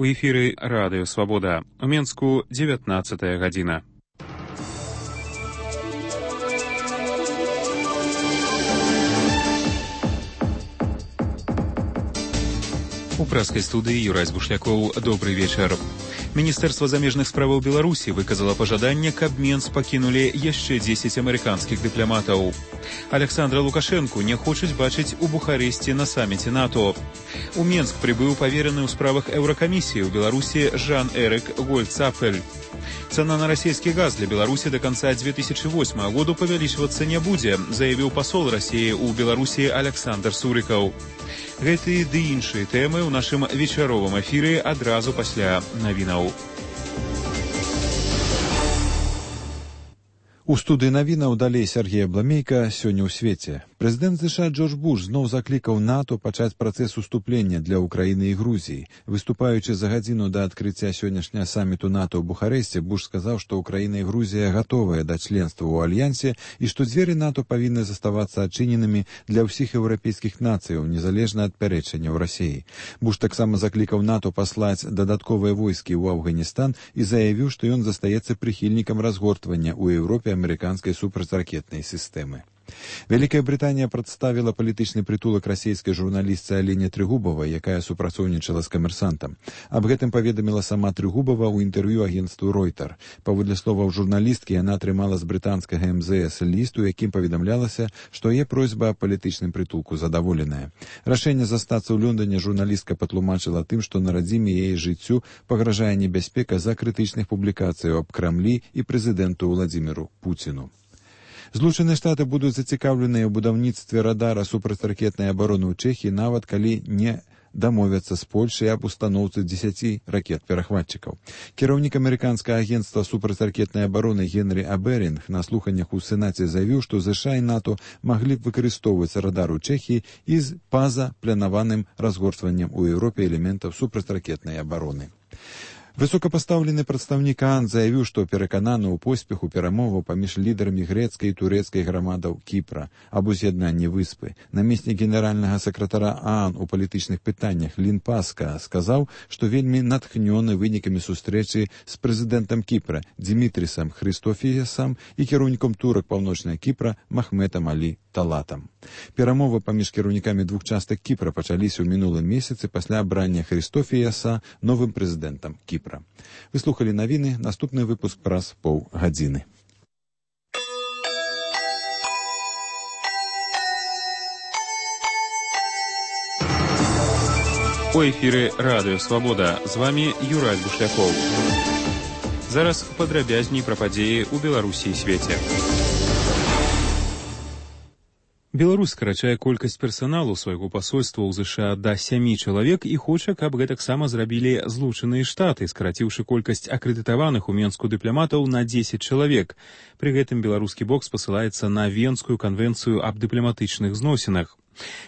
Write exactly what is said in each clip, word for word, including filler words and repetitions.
У эфіры радыё Свабода. У Менску дзевятнаццатая гадзіна. У прэскай студыі Юрась Бушлякоў. Добрый вечар. Міністэрства замежных справаў Беларусі выказала пажаданне, каб Менск пакінулі яшчэ дзесяць амерыканскіх дыпламатаў. Александра Лукашэнку не хочуць бачыць у Бухарэсці на саміце НАТО. У Менск прыбыў павераны ў справах Еўракамісіі ў Беларусі Жан-Эрик Гольцапфель. Цена на расійскі газ для Беларусі до конца две тысячи восьмого году павялічвацца не будзе, заявіў пасол Расіі ў Беларусі Александр Сурыкаў. Гэты ды іншыя тэмы ў нашым вечаровым эфіры адразу пасля навінаў. У студыі навінаў далей Сергей Абламейка. Сёння ў свеце. Прэзідэнт ЗША Джордж Буш зноў заклікаў НАТО пачаць працэс уступлення для Украіны і Грузіі. Выступаючы за гадзіну да адкрыцця сённяшняга саміту НАТО ў Бухарэсце, Буш сказаў, што Украіна і Грузія гатовыя да членства ў альянсе і што дзверы НАТО павінны заставацца адчыненымі для ўсіх еўрапейскіх нацыяў, незалежна ад пярэчанняў Расіі. Буш таксама заклікаў НАТО паслаць дадатковыя войскі ў Афганістан і заявіў, што ён застаецца прыхільнікам разгортвання ў Еўропе амерыканскай супрацьракетнай сістэмы. Вялікая Брытанія прадставіла палітычны прытулак расійскай журналістцы Алене Трыгубавай, якая супрацоўнічала з камерсантам. Аб гэтым паведаміла сама Трыгубава ў інтэрв'ю агенцтву Ройтер. Паводле словаў журналісткі, яна атрымала з брытанскага эм зэ эс ліст, у якім паведамлялася, што яе просьба аб палітычным прытулку задаволеная. Рашэнне застацца ў Лондоне журналістка патлумачыла тым, што на радзіме яе жыццю пагражае небяспека з-за крытычных публікацый аб Крамлі і прэзідэнту Владзіміру Пуціну. Злучаныя Штаты будуць зацікаўленыя ў будаўніцтве радара супрацьракетнай абароны ў Чэхіі, нават калі не дамовяцца з Польшай аб устаноўцы дзесяці ракет-перахватчыкаў. Кіраўнік амерыканскага агенцтва супрацьракетнай абароны Генрі Аберінг на слуханнях у Сенаце заявіў, што ЗША і НАТО маглі б выкарыстоўваць радар у Чэхіі і з па-за планаваным разгортваннем у Еўропе элементаў супрацьракетнай абароны. Высокапастаўлены прадстаўнік ААН заявіў, што перакананы ў поспеху перамоваў паміж лідарамі грэцкай і турэцкай грамадаў Кіпра аб уз'яднанні выспы. Намеснік генеральнага сакратара ААН у палітычных пытаннях Лін Паска сказаў, што вельмі натхнёны вынікамі сустрэчы з прэзідэнтам Кіпра Дмітрісам Хрыстофіясам і кіраўніком турак Паўночнага Кіпра Махметам Алі Талатам. Перамовы паміж кіраўнікамі двух частак Кіпра пачаліся ў мінулым месяцы пасля абрання Хрыстофіяса новым прэзідэнтам Кіпра. Вы слухалі навіны, наступны выпуск праз паўгадзіны. У эфіры радыё Свабода. З вамі Юрась Бушлякоў. Зараз падрабязней пра падзеі ў Беларусі і свеце. Беларусь скарачае колькасць персаналу свайго пасольства ў ЗША да сямі чалавек і хоча, каб гэтаксама зрабілі Злучаныя Штаты, скараціўшы колькасць акрэдытаваных у Менску дыпламатаў на дзесяць чалавек. Пры гэтым беларускі бок спасылаецца на Венскую канвенцыю аб дыпламатычных зносінах.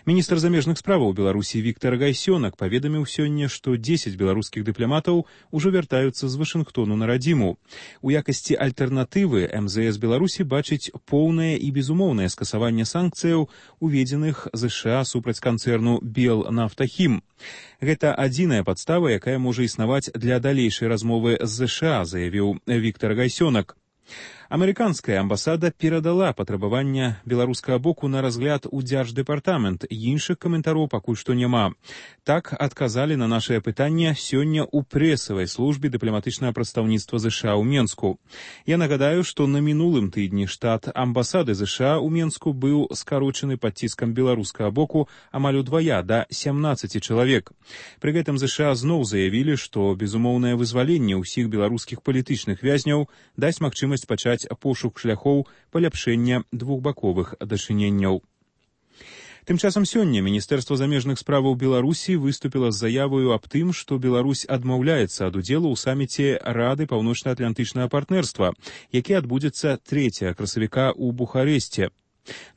Міністр замежных справаў Беларусі Віктар Гайсёнак паведаміў сёння, што дзесяць беларускіх дыпламатаў ужо вяртаюцца з Вашынгтону на радзіму. У якасці альтэрнатывы эм зэ эс Беларусі бачыць поўнае і безумоўнае скасаванне санкцыяў, уведзеных ЗША супраць канцэрну Белнафтахім. Гэта адзіная падстава, якая можа існаваць для далейшай размовы з ЗША, заявіў Віктар Гайсёнак. Амерыканская амбасада перадала патрабавання беларускага боку на разгляд у Дзярждэпартамент, іншых каментароў пакуль што няма. Так адказалі на нашае пытанне сёння ў прэсавай службе дыпламатычнага прадстаўніцтва ЗША ў Менску. Я нагадаю, што на мінулым тыдні штат амбасады ЗША ў Менску быў скарочаны пад ціскам беларускага боку амаль удвая да сямнаццаці чалавек. Пры гэтым ЗША зноў заявілі, што безумоўнае вызваленне ўсіх беларускіх палітычных вязняў дасць магчымасць пачаць пошук шляхоў паляпшэння двухбаковых дачыненняў. Тым часам сёння Міністэрства замежных справаў Беларусі выступіла з заяваю аб тым, што Беларусь адмаўляецца ад удзелу ў саміце Рады паўночна-атлантычнага партнерства, які адбудзецца трэцяга красавіка ў Бухарэсце.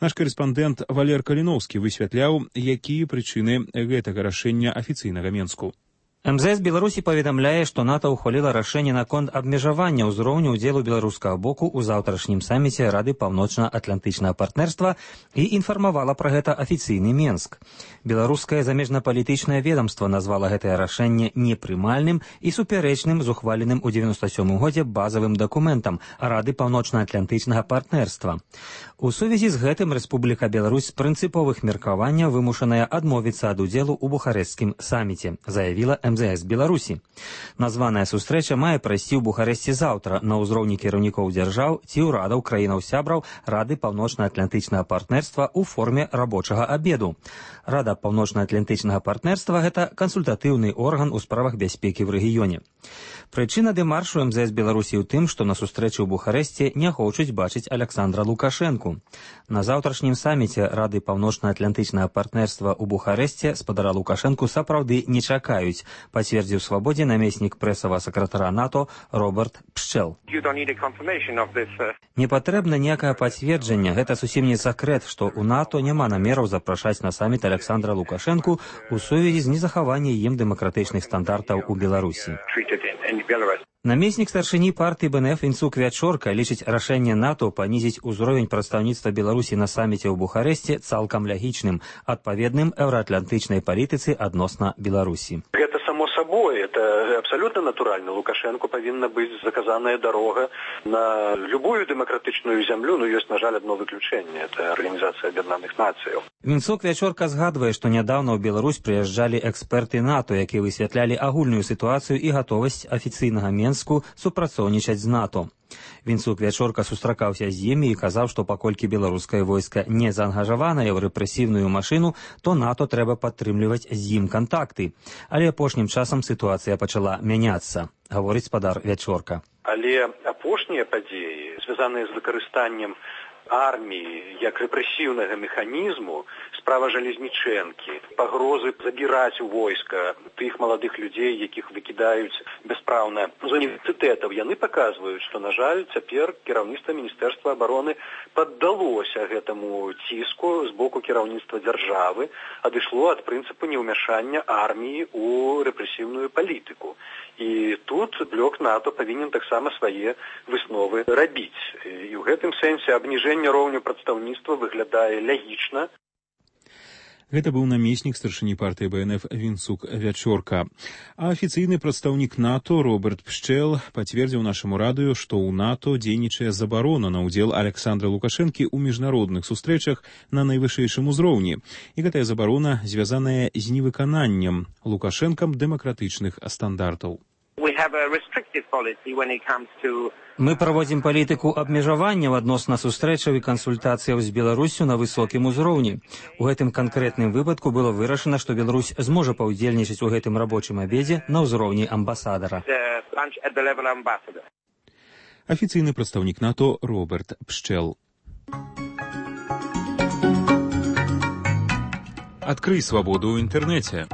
Наш карэспандэнт Валер Каліноўскі высвятляў, якія прычыны гэтага рашэння афіцыйнага Менску. эм зэ эс Беларусі паведамляе, што НАТО ўхваліла рашэнне наконт абмежавання ўзроўню ўдзелу беларускага боку ў заўтрашнім саміце Рады паўночна-атлантычнага партнерства і інфармавала пра гэта афіцыйны Менск. Беларускае замежнапалітычнае ведамства назвала гэтае рашэнне непрымальным і супярэчным з ухваленым у дзевяноста сёмым годзе базавым дакументам Рады паўночна-атлантычнага партнерства. У сувязі з гэтым Рэспубліка Беларусь з прынцыповых меркаванняў вымушаная адмовіцца ад удзелу ў бухарэсцкім саміце, заявіла эм зэ эс Беларусі. Названая сустрэча мае прайсці ў Бухарэсці заўтра на ўзроўні кіраўнікоў дзяржаў ці ўрадаў краінаў-сябраў Рады паўночна-атлантычнага партнерства ў форме рабочага абеду. Рада паўночна-атлантычнага партнерства – гэта кансультатыўны орган у справах бяспекі ў рэгіёне. Прычына дэмаршу эм зэ эс Беларусі ў тым, што на сустрэчы ў Бухарэсці не хочуць бачыць Аляксандра Лукашэнку. На заўтрашнім саміце Рады паўночна-атлантычнага партнерства ў Бухарэсце спадара Лукашэнку сапраўды не чакаюць, пацвердзіў Свабодзе намеснік прэсавага сакратара НАТО Роберт Пшчэл. Не патрэбна ніякае пацверджання, гэта зусім не сакрэт, што ў НАТО няма намераў запрашаць на саміт Аляксандра Лукашэнку у сувязі з незахаваннем ім дэмакратычных стандартаў у Беларусі. Намеснік старшыні партыі бэ эн эф Вінцук Вячорка лічыць рашэнне НАТО панізіць узровень прадстаўніцтва Беларусі на саміце ў Бухарэсце цалкам лягічным, адпаведным еўраатлантычнай палітыцы адносна Беларусі. Гэта само собой, это абсолютно натуральна. Лукашенко павінна быць заказаная дарога на любую дэмакратычную зямлю, но ёсць, на жаль, одно выключэнне, это Арганізацыя Аб'яднаных Нацыяў. Вінцук Вячорка згадвае, што нядаўна ў Беларусь прыязджалі эксперты НАТО, якія высвятлялі агульную сітуацыю і гатовасць афіцыйнага Менску супрацоўнічаць з НАТО. Вінцук Вячорка сустракаўся з імі і казаў, што паколькі беларускае войска не заангажаванае ў рэпрэсіўную машыну, то НАТО трэба падтрымліваць з ім кантакты. Але апошнім часам сітуацыя пачала мяняцца, гаворыць спадар Вячорка. Але апошнія падзеі, звязаныя з выкарыстаннем арміі як рэпрэсіўнага механізму, справа Жалезнічэнкі, пагрозы забіраць у войска тых маладых людзей, якіх выкідаюць бяспраўна з універсітэтаў, яны паказваюць, што, на жаль, цяпер кіраўніцтва Міністэрства абароны паддалося гэтаму ціску з боку кіраўніцтва дзяржавы, адышло ад прынцыпу неўмяшання арміі ў рэпрэсіўную палітыку. І тут блок НАТО павінен таксама свае высновы рабіць. І ў гэтым сэнсе абніжэнне роўню прадстаўніцтва выглядае лягічна. Гэта быў намеснік старшыні партыі бэ эн эф Вінцук Вячорка. А афіцыйны прадстаўнік НАТО Роберт Пшчэл пацвердзіў нашаму радыё, што ў НАТО дзейнічае забарона на ўдзел Аляксандра Лукашэнкі ў міжнародных сустрэчах на найвышэйшым узроўні. І гэтая забарона звязаная з невыкананнем Лукашэнкам дэмакратычных стандартаў. Мы праводзім палітыку абмежаванняў адносна сустрэчаў і кансультацыяў з Беларуссю на высокім узроўні. У гэтым канкрэтным выпадку было вырашана, што Беларусь зможа паўдзельнічаць у гэтым рабочым абедзе на ўзроўні амбасадара. Афіцыйны прадстаўнік НАТО Роберт Пшчэл. Адкрый свабоду ў інтэрнэце.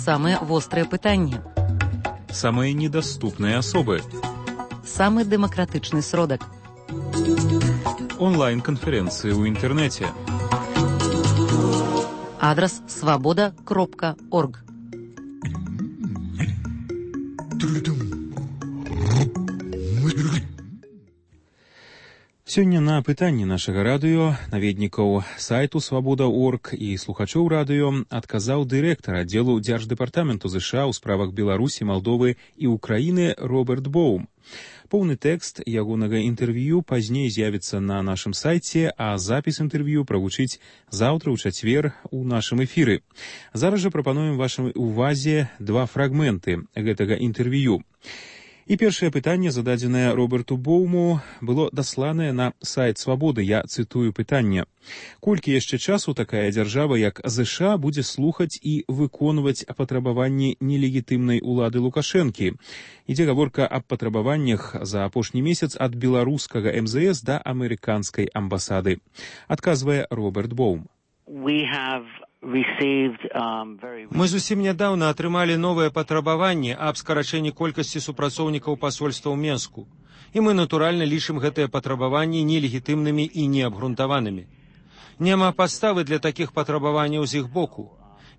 Самыя вострыя пытанні. Самыя недаступныя асобы. Самы дэмакратычны сродак. Онлайн-канферэнцыі ў інтэрнэце. Адрас свабода кропка орг. Сёння на пытанні нашага радыё наведнікаў сайту свабода кропка орг і слухачоў радыё адказаў дырэктар аддзелу Дзярждэпартаменту ЗША ў справах Беларусі, Малдовы і Украіны Роберт Боум. Поўны тэкст ягонага інтэрв'ю пазней з'явіцца на нашым сайце, а запіс інтэрв'ю прагучыць заўтра ў чацвер у нашым эфіры. Зараз жа прапануем вашай увазе два фрагменты гэтага інтэрв'ю. І першае пытанне, зададзенае Роберту Боуму, было дасланае на сайт Свабоды. Я цытую пытанне. Колькі яшчэ часу такая дзяржава, як ЗША, будзе слухаць і выконваць патрабаванні нелегітымнай улады Лукашэнкі? Ідзе гаворка аб патрабаваннях за апошні месяц ад беларускага эм зэ эс да амерыканскай амбасады. Адказвае Роберт Боум. Мы зусім нядаўна атрымалі новыя патрабаванні аб скарачэнні колькасці супрацоўнікаў пасольства ў Менску. І мы, натуральна, лічым гэтыя патрабаванні нелегітымнымі і неабгрунтаванымі. Няма падставы для такіх патрабаванняў з іх боку.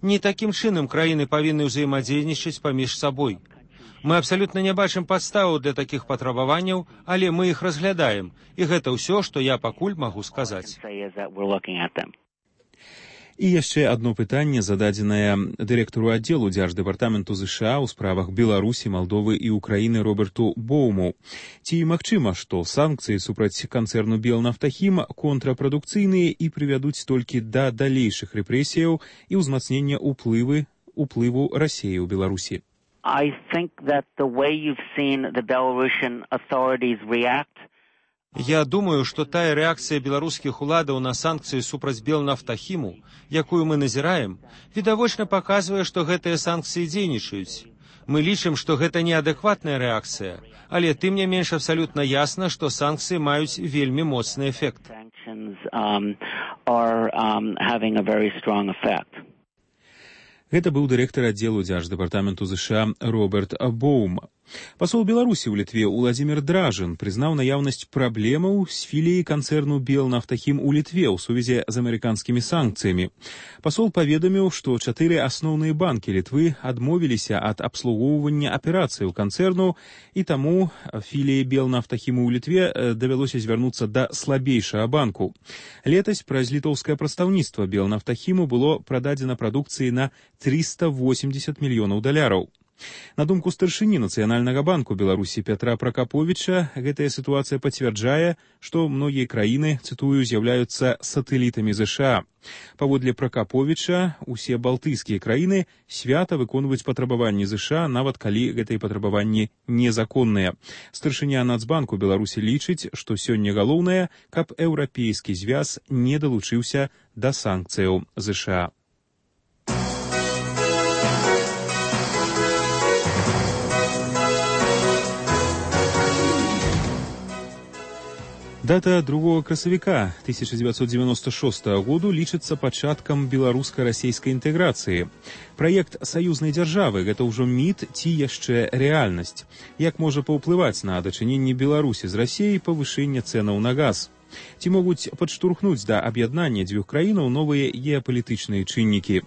Не такім чынам краіны павінны ўзаемадзейнічаць паміж сабой. Мы абсалютна не бачым падставаў для такіх патрабаванняў, але мы іх разглядаем, і гэта ўсё, што я пакуль магу сказаць. І яшчэ одно пытанне, зададзенае дырэктару аддзелу Дзярждэпартаменту ЗША ў справах Беларусі, Малдовы і Украіны Роберту Боуму. Ці магчыма, што санкцыі супраць канцэрну Белнафтахім контрапрадукцыйныя і прывядуць толькі да далейшых рэпрэсіяў і ўзмацнення ўплывы уплыву Расіі ў Беларусі? I think that the way you've seen the Belarusian authorities react. Я думаю, што тая рэакцыя беларускіх уладаў на санкцыі супраць Белнафтахіму, якую мы назіраем, відавочна паказвае, што гэтыя санкцыі дзейнічаюць. Мы лічым, што гэта неадэкватная рэакцыя, але тым не менш абсалютна ясна, што санкцыі маюць вельмі моцны эфект. Гэта быў дырэктар аддзелу Дзярждэпартаменту ЗША Роберт Боум. Пасол Беларусі ў Літве Уладзімір Дражын прызнаў наяўнасць праблемаў з філіяй канцэрну Белнафтахім у Літве ў сувязі з амерыканскімі санкцыямі. Пасол паведаміў, што чатыры асноўныя банкі Літвы адмовіліся ад абслугоўвання аперацыяў канцэрну, і таму філіі Белнафтахіму ў Літве давялося звярнуцца да слабейшага банку. Летась праз літоўскае прадстаўніцтва Белнафтахіму было прададзена прадукцыі на трыста восемьдесят мільёнаў даляраў. На думку старшыні Нацыянальнага банку Беларусі Пятра Пракаповіча, гэтая сітуацыя пацвярджае, што многія краіны, цытую, з'яўляюцца сатэлітамі ЗША. Паводле Пракаповіча, усе балтыйскія краіны свята выконваюць патрабаванні ЗША, нават калі гэтыя патрабаванні незаконныя. Старшыня Нацбанку Беларусі лічыць, што сёння галоўнае, каб еўрапейскі звяз не далучыўся да санкцыяў ЗША. Дата другого красавіка тысяча девятьсот девяносто шестого году лічыцца пачаткам беларуска-расейскай інтэграцыі. Праект саюзнай дзяржавы – гэта ўжо міт ці яшчэ рэальнасць. Як можа паўплываць на дачыненне Беларусі з Расіяй павышэнне цэнаў на газ? Ці могуць падштурхнуць да аб'яднання дзвюх краінаў новыя геапалітычныя чыннікі?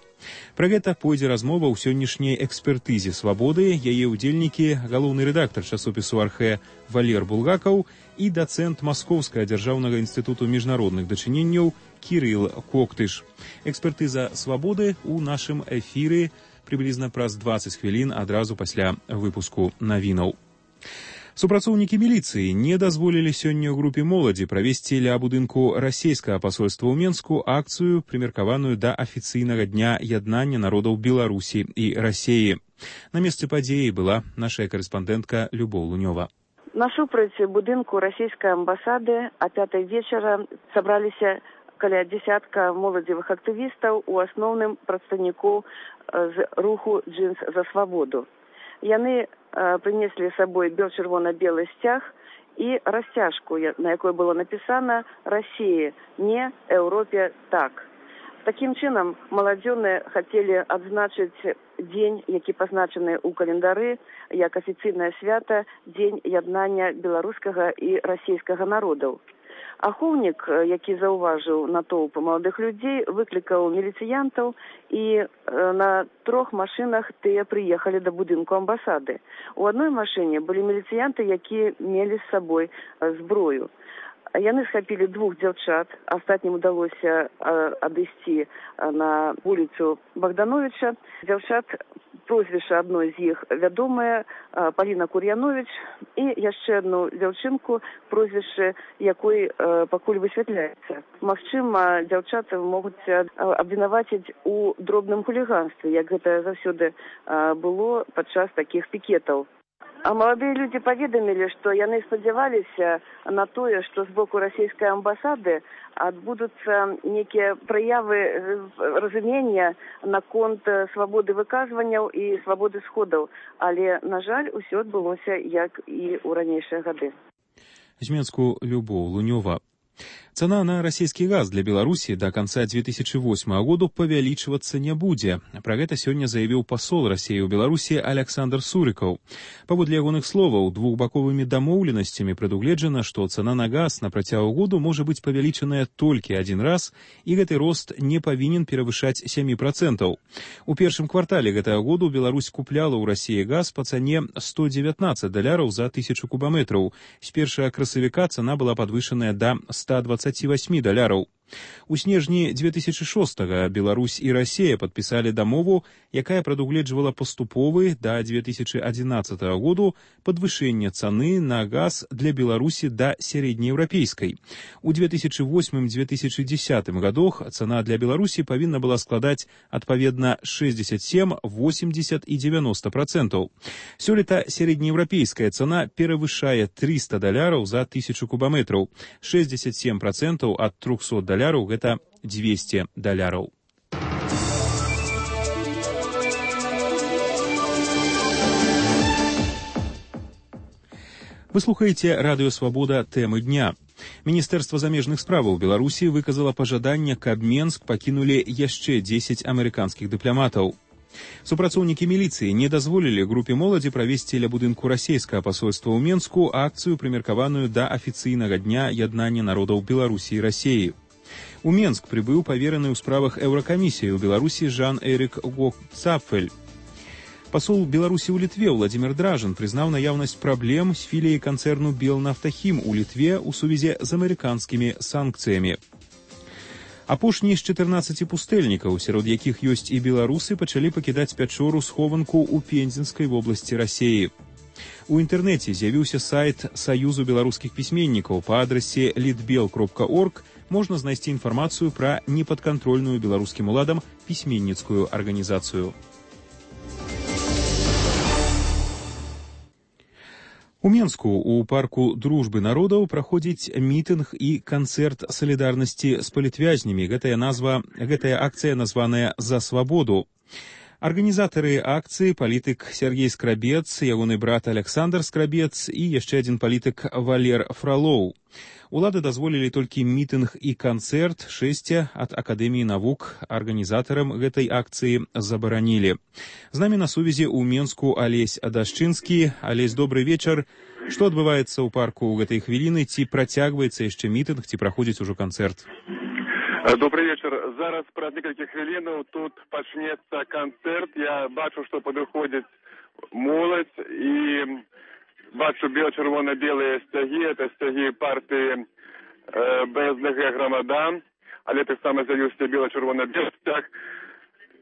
Пра гэта пойдзе размова ў сённяшняй экспертызе «Свабоды». Яе ўдзельнікі – галоўны рэдактар часопісу «Архэ» Валер Булгакаў і дацэнт Маскоўскага дзяржаўнага інстытуту міжнародных дачыненняў Кірыл Коктыш. Экспертыза «Свабоды» у нашым эфіры прыблізна праз дваццаць хвілін адразу пасля выпуску навінаў. Супрацоўнікі міліцыі не дазволілі сёння ў групе моладзі правесці ля будынку расійскага пасольства ў Менску акцыю, прымеркаваную да афіцыйнага дня яднання народаў Беларусі і Расіі. На месцы падзеі была наша карэспандэнтка Любоў Лунёва. Насупраць будынку расійскай амбасады а пятай вечара сабраліся каля дзесятка моладзевых актывістаў, у асноўным прадстаўнікоў з руху «Джинс за свабоду». Яны прынеслі з сабой бел-чырвона-белы сцяг і расцяжку, на якой было напісана «Расіі, не, Еўропе, так». Такім чынам, маладзёны хацелі адзначыць дзень, які пазначаны ў календары як афіцыйнае свята, дзень яднання беларускага і расійскага народаў. Ахоўнік, які заўважыў натоўп маладых людзей, выклікаў міліцыянтаў, і на трох машынах тыя прыехалі да будынку амбасады. У адной машыне былі міліцыянты, якія мелі з сабой зброю. Яны схапілі двух дзяўчат, астатнім удалося адысці на вуліцу Богдановича. Дзяўчат, прозвішча адной з іх вядомае, Паліна Кур'яновіч, і яшчэ одну дзяўчынку, прозвішча якой пакуль высвятляецца. Магчыма, дзяўчаты могуць абвінаваціць у дробным хуліганстве, як гэта заўсёды было падчас такіх пікетаў. А маладыя людзі паведамілі, што яны спадзяваліся на тое, што з боку расійскай амбасады адбудуцца нейкія праявы разумення наконт свабоды выказванняў і свабоды сходаў. Але, на жаль, усё адбылося, як і ў ранейшыя гады. З Менску Любоў Лунёва. Цена на расійскі газ для Беларусі до конца две тысячи восьмого года павялічвацца не будзе. Пра гэта сёння заявіў пасол Расіі ў Беларусі Александр Сурыкаў. Паводле ягоных словаў, двухбаковымі дамоўленасцямі прадугледжана, што цана на газ на працягу году можа быць павялічаная толькі адзін раз, і гэты рост не павінен перавышаць сем процентаў. У першым квартале гэтага году Беларусь купляла ў Расіі газ па цане сто дзевятнаццаць даляраў за тысячу кубаметраў. З першага красавіка цана была падвышаная да ста двадцати восьми даляраў. У снежні две тысячи шостага Беларусь і Расія падпісалі дамову, якая прадугледжвала паступовы да две тысячи адзінаццатага году падвышэнне цаны на газ для Беларусі да сярэднееўрапейскай. У две тысячи восьмым — две тысячи дзесятым годах цана для Беларусі павінна была складаць адпаведна шэсцьдзесят сем, восемьдесят і девяносто процентаў. Сёлета сярэднееўрапейская цана перавышае триста даляраў за тысячу кубаметраў, шэсцьдесят сем процентаў ад трохсот даляраў гэта двести даляраў. Вы слухаеце радыё Свабода тэмы дня. Міністэрства замежных справаў Беларусі выказала пажаданне, каб Менск пакінулі яшчэ дзесяць амерыканскіх дыпламатаў. Супрацоўнікі міліцыі не дазволілі групе моладзі правесці ля будынку расійскага пасольства ў Менску акцыю, прымеркаваную да афіцыйнага дня яднання народаў Беларусі і Расіі. У Менск прыбыў павераны ў справах Еўракамісіі ў Беларусі Жан-Эрик Гок-Цапфель. Пасол Беларусі ў Літве Владзімир Дражан прызнаў наяўнасць праблем з філіяй канцэрну Белнафтахім у Літве ў сувязі з амерыканскімі санкцыямі. Апошнія з чатырнаццаці пустэльнікаў, сярод якіх ёсць і беларусы, пачалі пакідаць пячору-схованку ў Пензенскай вобласці Расіі. У інтэрнэце з'явіўся сайт Саюзу беларускіх пісьменнікаў па адрасе літбел кропка орг. Можна знайсці інфармацыю пра непадкантрольную беларускім уладам пісьменніцкую арганізацыю. У Менску у парку Дружбы народаў праходзіць мітынг і канцэрт салідарнасці з палітвязнямі. Гэтая назва, гэтая акцыя названая «За свабоду». Арганізатары акцыі палітык Сергей Скрабец, ягоны брат Александр Скрабец і яшчэ адзін палітык Валер Фролоў. Улады дазволілі толькі мітынг і канцэрт, шэсце ад Акадэміі навук арганізатарам гэтай акцыі забаранілі. З намі на сувязі ў Менску Алесь Адашчынскі. Алесь, добрый вечар. Што адбываецца ў парку ў гэтай хвіліны? Ці працягваецца яшчэ мітынг, ці праходзіць ужо канцэрт? Добрый вечер. Зараз праз некалькі хвілінаў тут пачнецца канцэрт. Я бачу, што падыходзіць моладзь і бачу бела-чырвона-белыя сцягі. Это сцягі партыі э, бэ эс дэ гэ «Грамада», але таксама з'явіўся бела-чырвона-белы сцяг.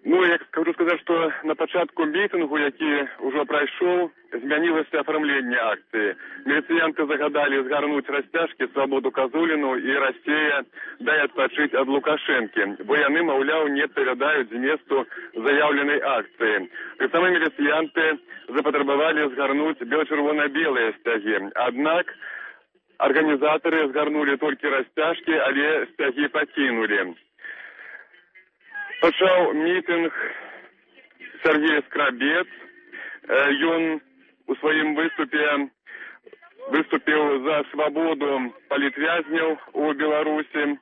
Ну, я хочу сказаць, што на пачатку мітынгу, які ўжо прайшоў, змянілася афармленне акцыі. Міліцыянты загадалі згарнуць расцяжкі Свабоду Казуліну і Расія дай адпачыць ад Лукашэнкі, бо яны, маўляў, не адпавядаюць зместу заяўленай акцыі. Таксама міліцыянты запатрабавалі згарнуць бела-чырвона-белыя сцягі. Аднак арганізатары згарнулі толькі расцяжкі, але сцягі пакінулі. Пачаў мітынг Сергей Скрабец. Ён у сваім выступе выступіў за свабоду палітвязняў у Беларусі.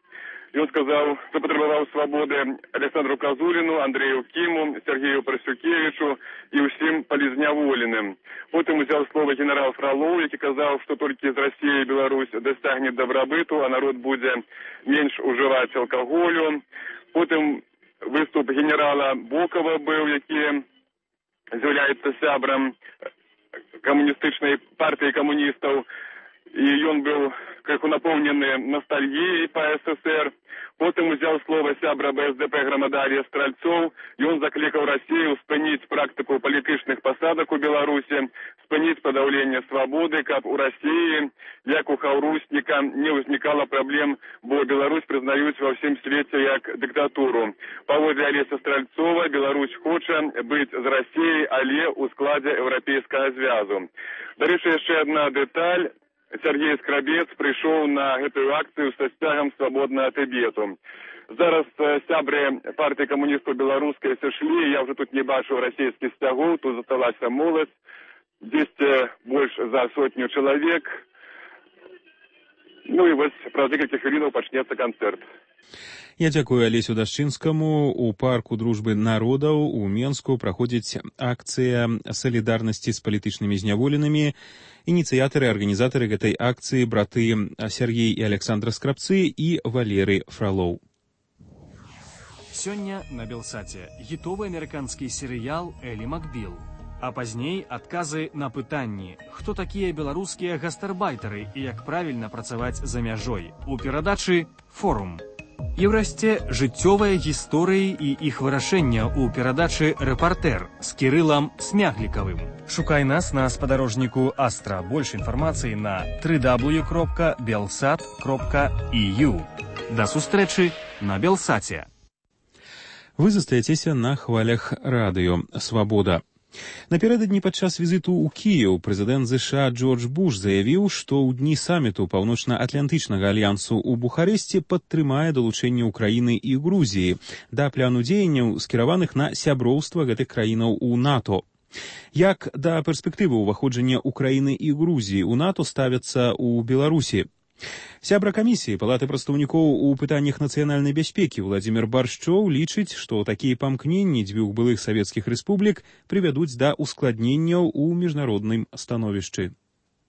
Ён сказаў, запатрабаваў свабоды Александру Казуліну, Андрею Кіму, Сергею Прасюкевічу і ўсім палізняволеным. Потым узяў слова генерал Фролоў, які казаў, што толькі з Расіі Беларусь дасягне дабрабыту, а народ будзе менш ужываць алкаголю. Потым выступ генерала Бокова быў, які з'яўляецца сябрам камуністычнай партыі камуністаў, і ён быў крыху напоўнены ностальгіяй па эс эс эр. Потым узяў слова сябра бэ эс дэ пэ «Грамада» Алесь Стральцоў. Ён заклікаў Расію спыніць практыку палітычных пасадак у Беларусі, спыніць падаўленне свабоды, каб у Расіі, як у Хаўрусніка, не ўзнікала праблем, бо Беларусь прызнаюць ва ўсім свеце як дыктатуру. Паводле Алеся Стральцова, Беларусь хоча быць з Расіяй, але ў складзе Еўрапейскага звязу. Дарэчы, яшчэ адна дэталь. Сергей Скрабец прыйшоў на гэтую акцыю са сцягам свабоднага Тыбету. Зараз сябры партыі камуністаў беларускай сышлі, я ўжо тут не бачу расійскіх сцягоў, тут засталася моладзь, дзесьці больш за сотню чалавек. Ну і вось праз некалькі хвілінаў пачнецца канцэрт. Я дзякую Алесю Дашчынскаму. У парку дружбы народаў у Менску праходзіць акцыя салідарнасці з палітычнымі зняволенымі. Ініцыятары, арганізатары гэтай акцыі браты Сергей і Александра Скрабцы і Валерый Фролоў. Сёння на Белсаце хітовы амерыканскі серыял «Элі Макбіл». А пазней адказы на пытанні, хто такія беларускія гастарбайтары і як правільна працаваць за мяжой. У перадачы «Форум». І ўрэшце жыццёвыя гісторыі і іх вырашэння ў перадачы «Рэпартэр» з Кірылам Смяглікавым. Шукай нас на спадарожніку Астра. Больш інфармацыі на дабл ю дабл ю дабл ю кропка белсат кропка і ю. Да сустрэчы на Белсаце. Вы застаецеся на хвалях радыё «Свабода». Напярэдадні падчас візіту ў Кіеў прэзідэнт ЗША Джордж Буш заявіў, што ў дні саміту Паўночна-Атлантычнага альянсу ў Бухарэсце падтрымае далучэнне Ўкраіны і Грузіі да пляну дзеянняў, скіраваных на сяброўства гэтых краінаў у НАТО. Як да перспектывы ўваходжання Ўкраіны і Грузіі ў НАТО ставяцца ў Беларусі? Сябра камісіі Палаты прадстаўнікоў у пытаннях нацыянальнай бяспекі Владзімір Баршчоў лічыць, што такія памкненні дзвюх былых савецкіх рэспублік прывядуць да ускладненняў у міжнародным становішчы.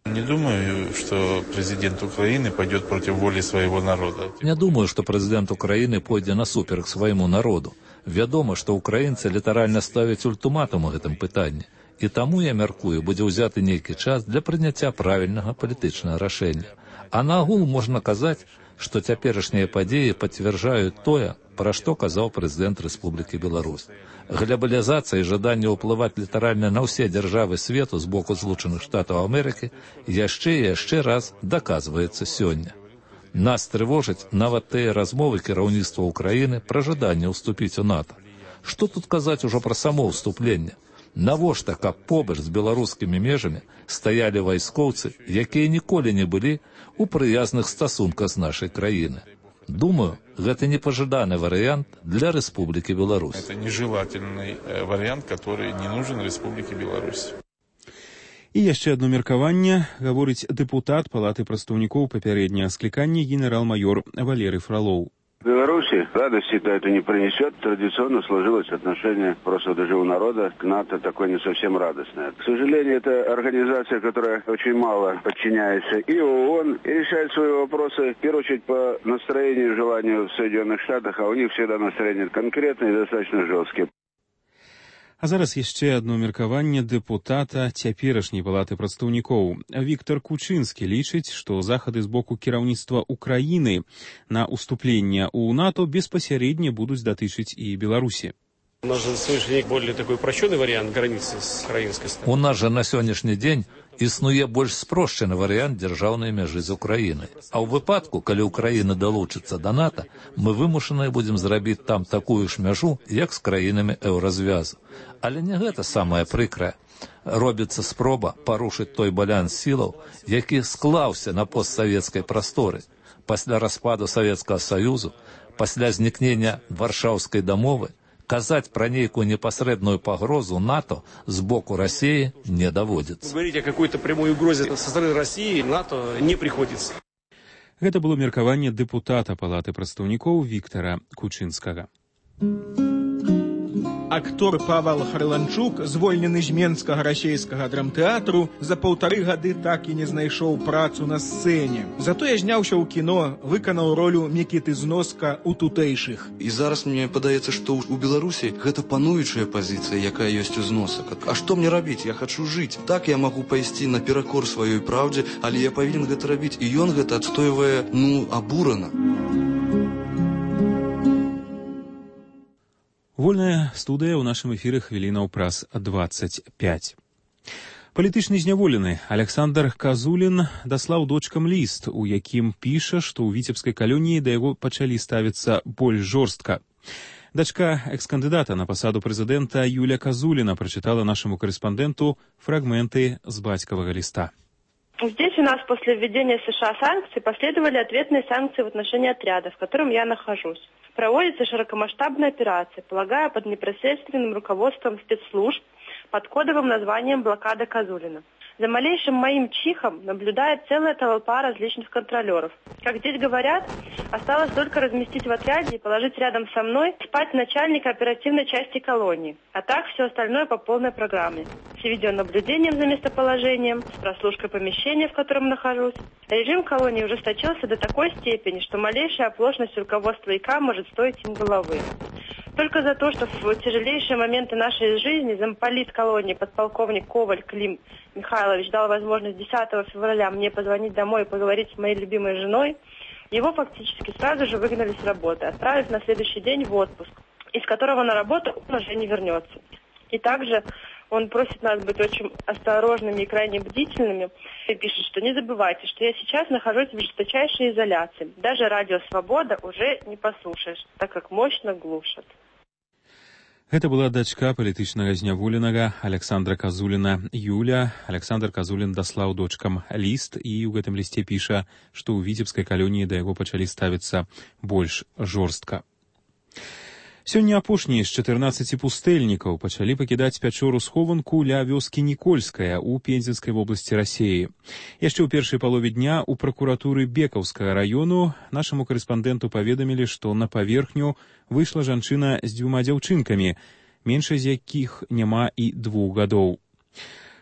Не думаю, что президент Украины пойдет против воли своего народа. Не думаю, что президент Украины пойдет насуперак своему народу. Вядома, что украинцы літаральна ставяць ультыматум у гэтым пытанні. І таму, я мяркую, будзе ўзяты нейкі час для прыняцця правільнага палітычнага рашэння. А наагул можна казаць, што цяперашнія падзеі пацвярджаюць тое, пра што казаў прэзідэнт Рэспублікі Беларусь. Глобалізацыя і жаданне ўплываць літаральна на ўсе дзяржавы свету з боку Злучаных Штатаў Амерыкі яшчэ і яшчэ раз даказваецца сёння. Нас трывожаць нават тыя размовы кіраўніцтва Ўкраіны пра жаданне ўступіць у НАТО. Што тут казаць ужо пра само ўступленне? Навошта, каб побач з беларускімі межамі стаялі вайскоўцы, якія ніколі не былі у прыязных стасунках з нашай краіны? Думаю, гэта непажаданы варыянт для Рэспублікі Беларусь. Это нежелательный вариант, который не нужен Рэспублікі Беларусь. І яшчэ одно меркаванне, гаворыць дэпутат Палаты прадстаўнікоў папярэдняга склікання генерал-майор Валерый Фролоў. В Беларуси радости-то это не принесет. Традиционно сложилось отношение просто даже у народа к НАТО такое не совсем радостное. К сожалению, это организация, которая очень мало подчиняется и ООН, и решает свои вопросы, в первую очередь, по настроению и желанию в Соединенных Штатах, а у них всегда настроение конкретное и достаточно жесткие. А зараз яшчэ одно меркаванне дэпутата цяперашняй Палаты прадстаўнікоў. Віктор Кучынскі лічыць, што захады з боку кіраўніцтва Украіны на уступленне ў НАТО беспасярэдне будуць датычыць і Беларусі. У нас же на сегодняшний день более такой упрощенный вариант границы с украинской стороны. У нас же на сённяшні дзень існуе больш спрошчаны варыянт дзяржаўнай мяжы з Украінай. А ў выпадку, калі Украіна далучыцца да НАТО, мы вымушаныя будзем зрабіць там такую ж мяжу, як з краінамі еўразвязу. Але не гэта самае прыкрае. Робіцца спроба парушыць той баланс сілаў, які склаўся на постсавецкай прасторы. Пасля распаду Савецкага Саюзу, пасля знікнення Варшаўскай дамовы, казаць пра нейкую непасрэдную пагрозу НАТО з боку России не даводзіцца. Говорить о какой-то прямой угрозе со стороны России НАТО не приходится. Гэта было меркаванне дэпутата Палаты прадстаўнікоў Віктора Кучынскага. Актор Павел Харланчук, звольнены з Менскага расейскага драмтэатру, за паўтары гады так і не знайшоў працу на сцэне. Затое зняўся ў кіно, выканаў ролю Мікіты Зноска ў тутэйшых. І зараз мне падаецца, што ў Беларусі гэта пануючая пазіцыя, якая ёсць у Зносак. А што мне рабіць? Я хачу жыць. Так я магу пайсці наперакор сваёй праўдзе, але я павінен гэта рабіць. І ён гэта адстойвае, ну, абурана. Вольная студыя ў нашым эфіры хвілінаў праз дваццаць пяць. Палітычны зняволены Александр Казулін даслаў дочкам ліст, у якім піша, што ў віцебскай калоніі да яго пачалі ставіцца больш жорстка. Дачка экс-кандыдата на пасаду прэзідэнта Юля Казуліна прачытала нашаму карэспандэнту фрагменты з бацькавага ліста. Здесь у нас после введения США санкций последовали ответные санкции в отношении отряда, в котором я нахожусь. Проводится широкомасштабная операция, полагаю, под непосредственным руководством спецслужб под кодовым названием «Блокада Казулина». За малейшим моим чихом наблюдает целая толпа различных контролеров. Как здесь говорят, осталось только разместить в отряде и положить рядом со мной спать начальника оперативной части колонии. А так все остальное по полной программе. С видеонаблюдением за местоположением, с прослушкой помещения, в котором нахожусь. Режим колонии ужесточился до такой степени, что малейшая оплошность руководства ИК может стоить им головы. Только за то, что в тяжелейшие моменты нашей жизни замполит колонии подполковник Коваль Клим Михайлович дал возможность десятого февраля мне позвонить домой и поговорить с моей любимой женой, его фактически сразу же выгнали с работы, отправив на следующий день в отпуск, из которого на работу он уже не вернется. И также он просит нас быть очень осторожными и крайне бдительными. И пишет, что не забывайте, что я сейчас нахожусь в жесточайшей изоляции. Даже радио «Свобода» уже не послушаешь, так как мощно глушат. Гэта была дачка палітычнага зняволенага Александра Казуліна Юля. Александр Казулін даслаў дочкам ліст і ў гэтым лісце піша, што ў віцебскай калоніі да яго пачалі ставіцца больш жорстка. Сёння апошнія з чатырнаццаці пустэльнікаў пачалі пакідаць пячору-схованку ля вёскі Нікольская ў Пензенскай вобласці Расіі. Яшчэ ў першай палове дня ў пракуратуры Бекаўскага раёну нашаму карэспандэнту паведамілі, што на паверхню выйшла жанчына з дзвюма дзяўчынкамі, меншай з якіх няма і двух гадоў.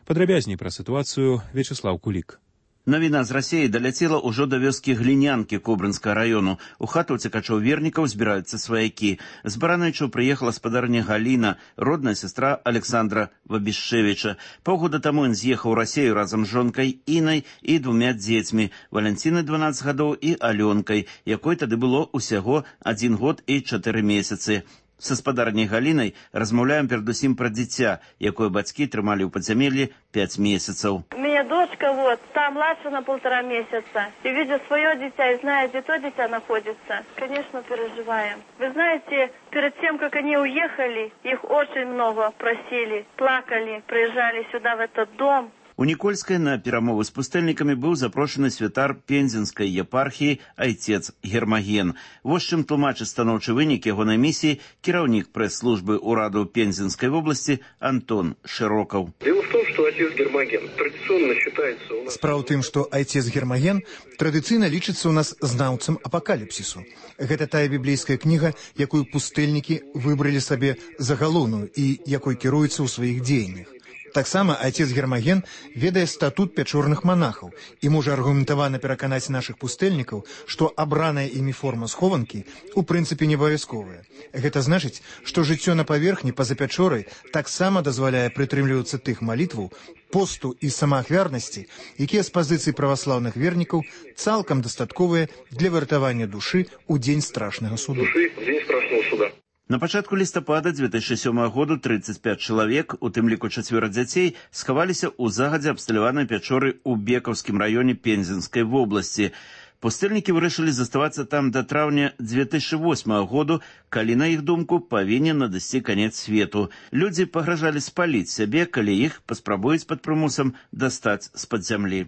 Падрабязней пра сітуацыю Вячеслав Кулік. Навіна з Расіі даляцела ўжо да вёскі Глінянкі Кобрынскага раёну. У хату цікачоў вернікаў збіраюцца сваякі. З Баранайчаў прыехала спадарня Галіна, родная сестра Александра Вабішчевіча. Паўгода таму ён з'ехаў у Расію разам з жонкай Інай і двумя дзецьмі, Валянцінай дванаццаць гадоў і Алёнкай, якой тады было ўсяго адзін год і чатыры месяцы. Са спадарняй Галінай размаўляем перадусім пра дзіця, якое бацькі трымалі ў падзямеллі пять месяцаў. У меня дочка вот, там младше на полтора месяца. И видя свое дитя и зная, где то дитя находится, конечно, переживаем. Вы знаете, перед тем, как они уехали, их очень много просили, плакали, приезжали сюда, в этот дом. У Нікольскай на перамовы з пустэльнікамі быў запрошаны святар Пензенскай епархіі айцец Гермаген. Вось чым тлумачыць станоўчы вынік ягонай місіі кіраўнік прэс-службы ўраду Пензенскай вобласці Антон Широков. Дело в том, что отец Гермоген традиционно считается у нас... Справа ў тым, што айцец Гермаген традыцыйна лічыцца ў нас знаўцам апакаліпсісу. Гэта тая біблейская кніга, якую пустэльнікі выбралі сабе за галоўную і якой кіруюцца ў сваіх дзеяннях. Таксама отец Гермоген ведае статут пячорных монахаў і можа аргументавана пераканаць нашых пустэльнікаў, што абраная імі форма схованкі у прынцыпе не абавязковая. Гэта значыць, што жыццё на паверхні па-за пячорай таксама дазваляе прытрымлівацца тых малітваў, посту і самаахвярнасці, якія з пазіцыі праваслаўных вернікаў цалкам дастатковыя для выратавання душы ў дзень страшнага суду. Душы ў дзень страшнага суда. На пачатку лістапада две тысячи сёмага году тридцать пять чалавек, у тым ліку чацвёра дзяцей, схаваліся ў загадзя абсталяванай пячоры ў Бекаўскім раёне Пензенскай вобласці. Пустэльнікі вырашылі заставацца там да траўня две тысячи восьмага году, калі, на іх думку, павінен надысці канец свету. Людзі пагражалі спаліць сябе, калі іх паспрабуюць пад прымусам дастаць з-пад зямлі.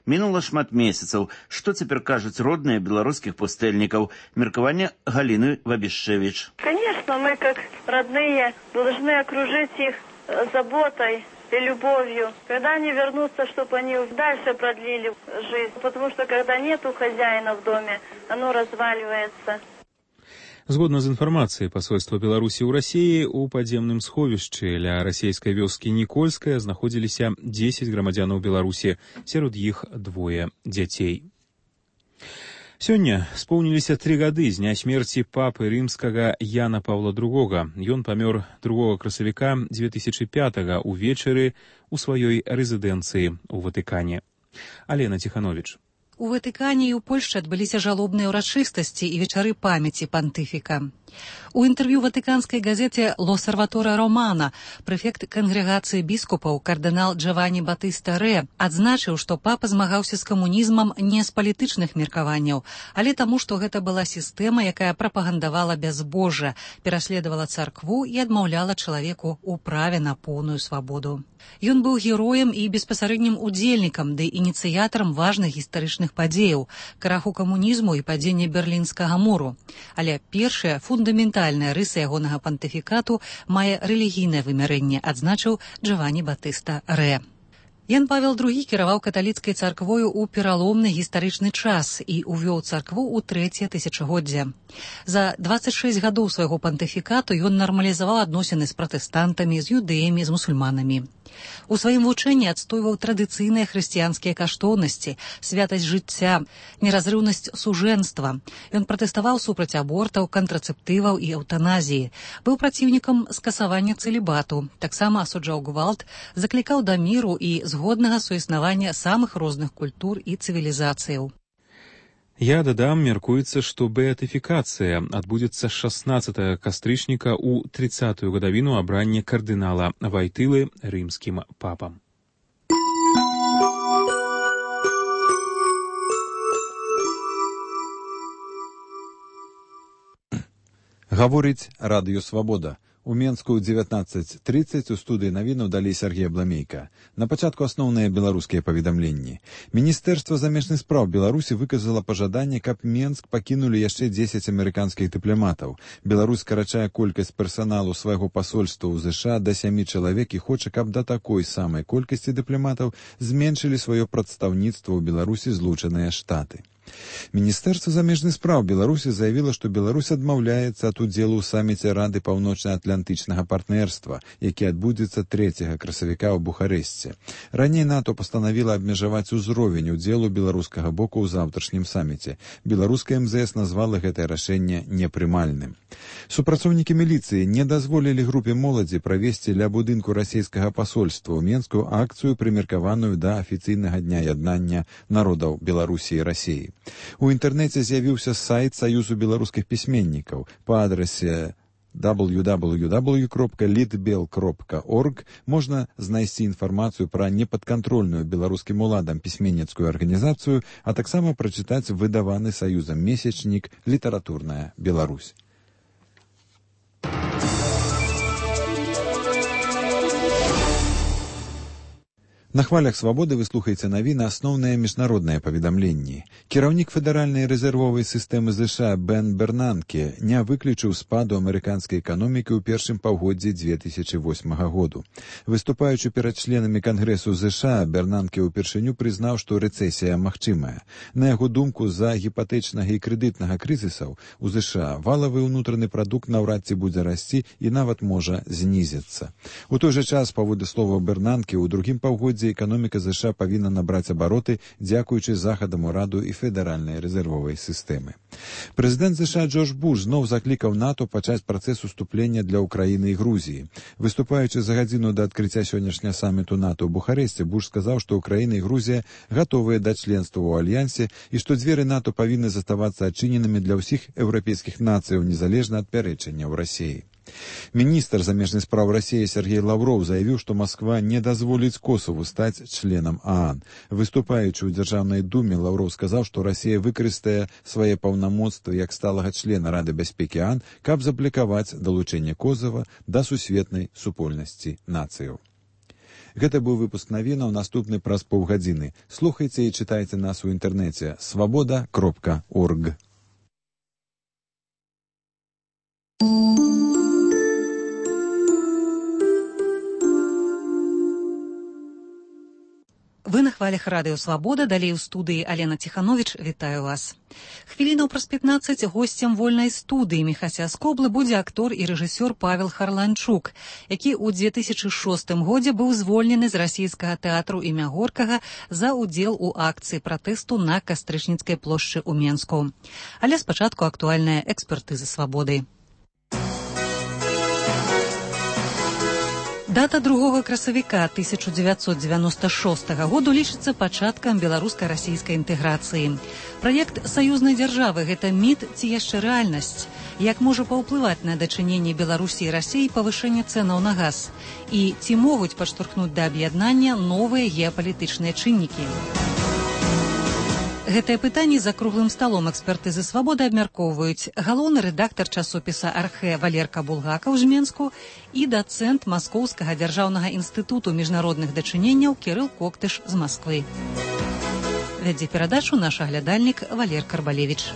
Мінула шмат месяцаў. Што цяпер кажуць родныя беларускіх пустэльнікаў? Меркаванне Галины Вабішчевіч. Конечно, мы, как родные, должны окружить их заботой и любовью. Когда они вернутся, чтобы они дальше продлили жизнь. Потому что когда нету хозяина в доме, оно разваливается. Згодна з інфармацыяй пасольства Беларусі ў Расіі, у падземным сховішчы ля расійскай вёскі Нікольская знаходзіліся дзесяць грамадзянаў Беларусі, сярод іх двое дзяцей. Сёння споўніліся тры гады з дня смерці папы рымскага Яна Паўла другога. Ён памёр другога красавіка две тысячи пятага ўвечары ў сваёй рэзідэнцыі ў Ватыкане. Алена Ціхановіч. У Ватыкане і ў Польшчы адбыліся жалобныя ўрачыстасці і вечары памяці пантыфіка. У інтэрв'ю ватыканскай газеце «Л'Осерваторе Романо» прэфект кангрэгацыі біскупаў кардынал Джаванні Батыста Рэ адзначыў, што папа змагаўся з камунізмам не з палітычных меркаванняў, але таму, што гэта была сістэма, якая прапагандавала бязбожжа, пераследавала царкву і адмаўляла чалавеку ў праве на поўную свабоду. Ён быў героем і беспасарэднім удзельнікам ды ініцыятарам важных гістарычных падзеяў, краху камунізму і падзення Берлінскага муру. Але першая фундаментальная рыса ягонага пантыфікату мае рэлігійнае вымярэнне, адзначыў Джаванні Батыста Рэ. Ян Павел другі кіраваў каталіцкай царквою ў пераломны гістарычны час і ўвёў царкву ў трэцяе тысячагоддзе. За дваццаць шэсць гадоў свайго пантыфікату ён нармалізаваў адносіны з пратэстантамі, з юдэямі, з мусульманамі. У сваім вучэнні адстойваў традыцыйныя хрысціянскія каштоўнасці, святасць жыцця, неразрыўнасць сужэнства. Ён пратэставаў супраць абортаў, кантрацэптываў і эўтаназіі. Быў праціўнікам скасавання цэлібату, таксама асуджаў гвалт, заклікаў да міру і згоднага суіснавання самых розных культур і цывілізацыяў. Я дадам, мяркуецца, што беатыфікацыя адбудзецца шаснаццатага кастрычніка ў трыццатую гадавіну абрання кардынала Вайтылы рымскім папам. Гаворыць Радыё Свабода. У Менску ў дзевятнаццаць трыццаць у студыі навінаў далі Сергей Абламейка. На пачатку асноўныя беларускія паведамленні. Міністэрства замежных спраў Беларусі выказала пажаданне, каб Менск пакінулі яшчэ дзесяць амерыканскіх дыпламатаў. Беларусь скарачае колькасць персаналу свайго пасольства ў ЗША да сямі чалавек і хоча, каб да такой самай колькасці дыпламатаў зменшылі сваё прадстаўніцтва ў Беларусі Злучаныя Штаты. Міністэрства замежных спраў Беларусі заявіла, што Беларусь адмаўляецца ад удзелу ў саміце Рады паўночна-атлантычнага партнерства, які адбудзецца трэцяга красавіка ў Бухарэсце. Раней НАТО пастанавіла абмежаваць узровень удзелу беларускага боку ў заўтрашнім саміце. Беларуская эм зэ эс назвала гэтае рашэнне непрымальным. Супрацоўнікі міліцыі не дазволілі групе моладзі правесці ля будынку расійскага пасольства ў Менску акцыю, прымеркаваную да афіцыйнага дня яднання народаў Беларусі і Расіі. У інтэрнэце з'явіўся сайт Саюзу беларускіх пісьменнікаў па адрасе дабл ю дабл ю дабл ю кропка літбел кропка орг можна знайсці інфармацыю пра непадкантрольную беларускім уладам пісьменніцкую арганізацыю, а таксама прачытаць выдаваны Саюзам месячнік «Літаратурная Беларусь». На хвалях свабоды вы слухаеце навіны асноўныя міжнародныя паведамленні. Кіраўнік федэральнай рэзервовай сістэмы ЗША Бен Бернанке не выключыў спаду амерыканскай эканомікі ў першым паўгоддзі дзве тысячы восьмага году. Выступаючы перад членамі Кангрэсу ЗША, Бернанке ўпершыню прызнаў, што рэцэсія магчымая. На яго думку, з-за гіпатэчнага і крэдытнага крызісаў у ЗША валавы ўнутраны прадукт наўрад ці будзе расці і нават можа знізіцца. У той жа час, паводле слова Бернанке, у другім паўгоддзі эканоміка ЗША павінна набраць абароты дзякуючы захадам ураду і федэральнай рэзервовай сістэмы. Прэзідэнт ЗША Джордж Буш зноў заклікаў НАТО пачаць працэс уступлення для Украіны і Грузіі. Выступаючы за гадзіну да адкрыцця сённяшняга саміту НАТО ў Бухарэсце, Буш сказаў, што Украіна і Грузія гатовыя да членства ў альянсе і што дзверы НАТО павінны заставацца адчыненымі для ўсіх еўрапейскіх нацыяў незалежна ад пярэчанняў Расіі. Міністр замежных спраў Расіі Сергей Лаўроў заявіў, што Масква не дазволіць Косову стаць членам ААН. Выступаючы ў Дзяржаўнай думе, Лаўроў сказаў, што Расія выкарыстае свае паўнамоцтвы як сталага члена Рады бяспекі ААН, каб заблакаваць далучэнне Косова да сусветнай супольнасці нацыяў. Гэта быў выпуск навінаў, наступны праз паўгадзіны. Слухайце і чытайце нас у інтэрнэце свабода кропка орг. Вы на хвалях Радыё Свабода, далей у студыі Алена Ціхановіч, вітаю вас. Хвілінаў праз пятнаццаць госцем вольнай студыі Міхася Скоблы будзе актор і рэжысёр Павел Харланчук, які ў дзве тысячы шостым годзе быў звольнены з расійскага тэатру імя Горкага за ўдзел у акцыі пратэсту на Кастрычніцкай плошчы ў Менску. Але спачатку актуальная экспертыза свабоды. Дата другога красавіка тысяча дзевяцьсот дзевяноста шостага году лічыцца пачаткам беларуска-расійскай інтэграцыі. Праект саюзнай дзяржавы – гэта міт ці яшчэ рэальнасць? Як можа паўплываць на дачыненне Беларусі і Расіі павышэнне цэнаў на газ? І ці могуць падштурхнуць да аб'яднання новыя геапалітычныя чыннікі? Гэтае пытанне за круглым сталом экспертызы свабоды абмяркоўваюць галоўны рэдактар часопіса «Архэ» Валерка Булгакаў з Менску і дацэнт Маскоўскага дзяржаўнага інстытуту міжнародных дачыненняў Кірыл Коктыш з Масквы. Вядзе перадачу наш аглядальнік Валер Карбалевіч.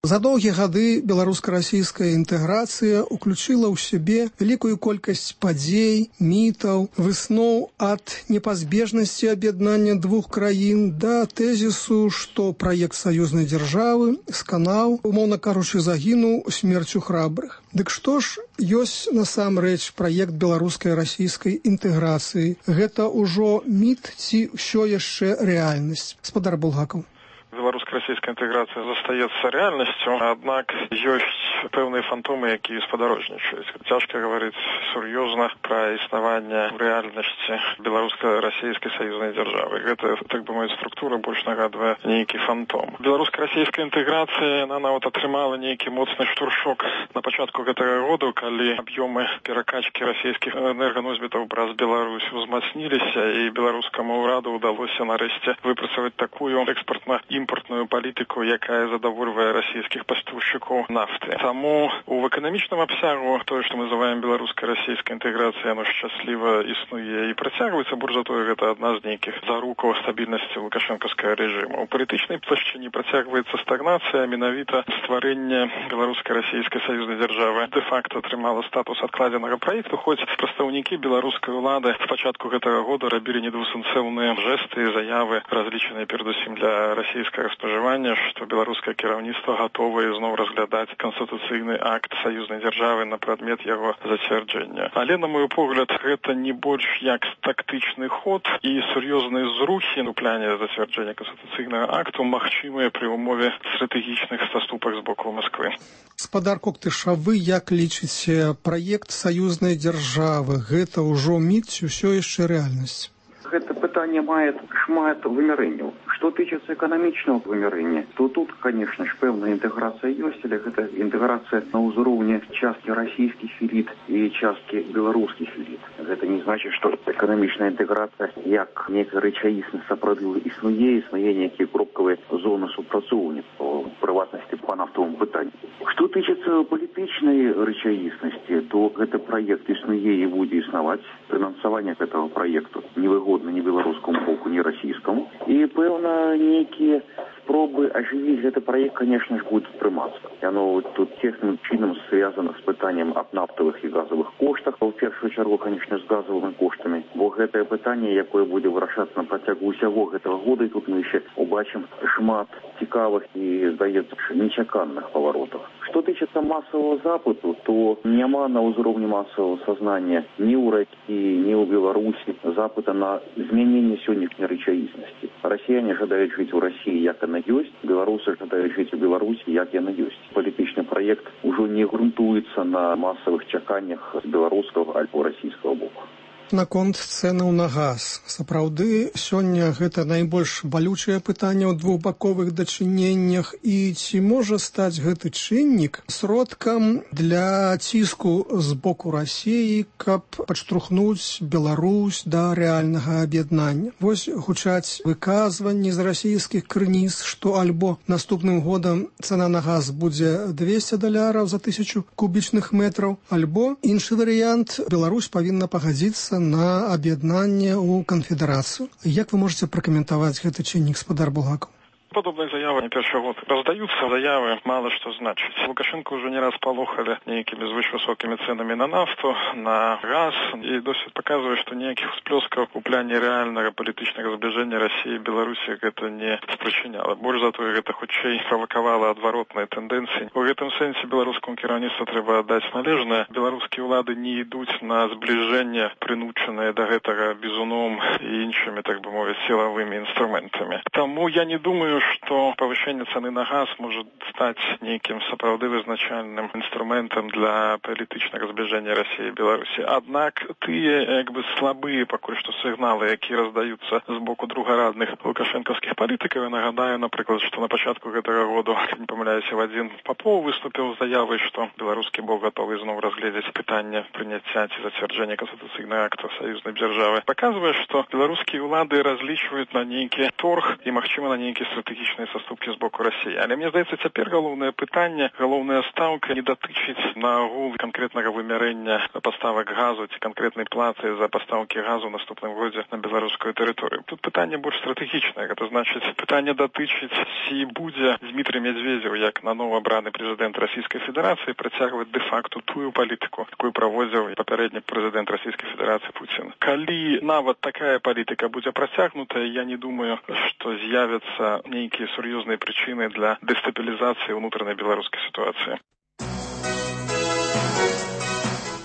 За доўгія гады беларуска-расійская інтэграцыя ўключыла ў сябе вялікую колькасць падзей, мітаў, высноў ад непазбежнасці аб'яднання двух краін да тэзісу, што праект саюзнай дзяржавы сканаў, умоўна кажучы, загінуў смерцю храбрых. Дык што ж ёсць насамрэч праект беларускай расійскай інтэграцыі? Гэта ўжо міт ці ўсё яшчэ рэальнасць? Спадар Булгакаў. Беларуска-расійская інтэграцыя застаецца рэальнасцю, аднак ёсць пэўныя фантомы, якія спадарожнічаюць. Цяжка гаварыць сур'ёзна пра існаванне ў рэальнасці беларуска-расійскай саюзнай дзяржавы. Гэта, так бы мовіць, структура больш нагадвае нейкі фантом. Беларуска-расійская інтэграцыя, яна нават атрымала нейкі моцны штуршок на пачатку гэтага года, калі аб'ёмы перакачкі расійскіх энерганосьбітаў праз Беларусь узмацніліся, і беларускаму ўраду ўдалося нарэшце выпрацаваць такую экспартна імпортную палітыку, якая задавольвае расійскіх пастаўшчыкоў нафты. Таму у эканамічным абсягу тое, што мы называем беларуска-расійская інтэграцыя, яно шчасліва існуе і працягваецца, больш за тое, гэта адна з нейкіх зарукаў стабільнасці лукашэнкаўскага рэжыму. У палітычнай плашчыне працягваецца стагнацыя, менавіта стварэнне беларуска-расійскай саюзнай дзяржавы дэ-факта атрымала статус адкладзенага праекту, хоць прадстаўнікі беларускай улады з пачатку гэтага года рабілі недвусэнсоўныя жэсты і заявы, разлічаныя перадусім для расійскага спажывання, што беларускае кіраўніцтва гатовае зноў разглядаць канстытуцыйны акт саюзнай дзяржавы на прадмет яго зацвярджэння. Але, на мой погляд, гэта не больш як тактычны ход, і сур'ёзныя зрухі у пляне зацвярджэння канстытуцыйнага акту магчымыя пры ўмове стратэгічных саступак з боку Масквы. Спадар Коктыш, а вы як лічыце, праект саюзнай дзяржавы гэта ўжо міт ці ўсё яшчэ рэальнасць? Гэта пытанне мае шмат вымярэнняў. Што тычыцца эканамічнага вымярэння, то тут, конечно ж, пэўная інтэграцыя ёсць, але гэта інтэграцыя на ўзроўні часткі расійскіх эліт і часткі беларускіх эліт. Гэта не значыць, што эканамічная інтэграцыя як некая рэчаіснасць сапраўды існуе, існуе нейкія кропкавыя зоны супрацоўніцтва, у прыватнасці па нафтовым пытанні. Што тычыцца палітычнай рэчаіснасці, то гэты праект існуе і будзе існаваць. Фінансаванне гэтага праекту невыгодна ні беларускаму боку, ні расійскаму. І, пэўна, нейкія спробы ажывіць гэты праект, конечно ж, будуць прымацца. Яно тут цесным чынам звязана з пытаннем аб нафтавых і газавых коштах, у першую чаргу, конечно, з газавымі коштамі, бо гэтае пытанне, якое будзе вырашацца на працягу ўсяго гэтага года, і тут мы яшчэ убачым шмат цікавых і, здаецца, нечаканых паваротаў. Што тычыцца масавага запыту, то няма на ўзроўні масавага сазнання ні ў Расіі, ні ў Беларусі запыта на змяненне сённяшняй рэчаіснасці. Расіяне жадаюць жыць у Расіі, як яна ёсць, беларусы жадаюць жыць у Беларусі, як яна ёсць. Палітычны праект ужо не грунтуецца на масавых чаканнях з беларускага альбо расійскага боку. Наконт цэнаў на газ. Сапраўды, сёння гэта найбольш балючае пытанне ў двухбаковых дачыненнях, і ці можа стаць гэты чыннік сродкам для ціску з боку Расіі, каб падштурхнуць Беларусь да рэальнага аб'яднання? Вось гучаць выказванні з расійскіх крыніц, што альбо наступным годам цана на газ будзе двесце даляраў за тысячу кубічных метраў, альбо іншы варыянт, Беларусь павінна пагадзіцца на аб'яднанне ў канфедэрацыю. Як вы можаце пракаментаваць гэты чыннік, спадар Булгакаў? Подобные заявы не першы год раздаются, заявы мало что значит. Лукашенко уже не раз полохали некими звышвысокими ценами на нафту, на газ, и досить показывает, что никаких всплесков у пляне реального политического сближения России и Беларуси это не спричиняло. Больше зато это хутчэй провоковало отворотные тенденции. В этом сенсе белорусскому кіраўніцтву треба отдать належное. Белорусские улады не идут на сближение, принученные до этого бизуном и іншими, так бы мовить, силовыми инструментами. Тому я не думаю, что повышение цены на газ может стать неким сапраўды вызначальным инструментом для палітычнага сближения России и Беларуси. Однако тыя, як бы, слабые пакуль что сигналы, якія раздаются з боку другарадных лукашенковских политиков, я нагадаю, например, что на початку этого года, не помиляюсь, Вадим Попов выступил с заявой, что белорусский бок готовы снова разглядеть питание принятия и затверждения конституційного акта союзной державы. Показывает, что белорусские улады различивают на некий торг и, махчима, на некий стратегический стратэгічныя саступкі з боку Расіі. Але мне здаецца, цяпер галоўнае пытанне, галоўная стаўка не датычыць наогул канкрэтнага вымярэння паставак газу ці канкрэтнай платы за пастаўкі газу ў наступным годзе на беларускую тэрыторыю. Тут пытанне больш стратэгічнае. Гэта значыць, пытанне датычыць, ці будзе Дмітрий Медведзеў, як на новоабраны прэзідэнт Расійскай Федэрацыі, працягваць дэ-факту тую палітыку, якую праводзіў папярэдні прэзідэнт Расійскай Федэрацыі Пуцін. Калі нават такая палітыка будзе працягнутая, я не думаю, што з'явяцца нейкія сур'ёзныя прычыны для дэстабілізацыі ўнутранай беларускай сітуацыі.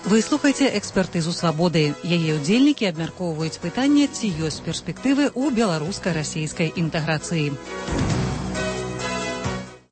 Вы слухаеце экспертызу свабоды. Яе ўдзельнікі абмяркоўваюць пытанне, ці ёсць перспектывы ў беларуска-расійскай інтэграцыі.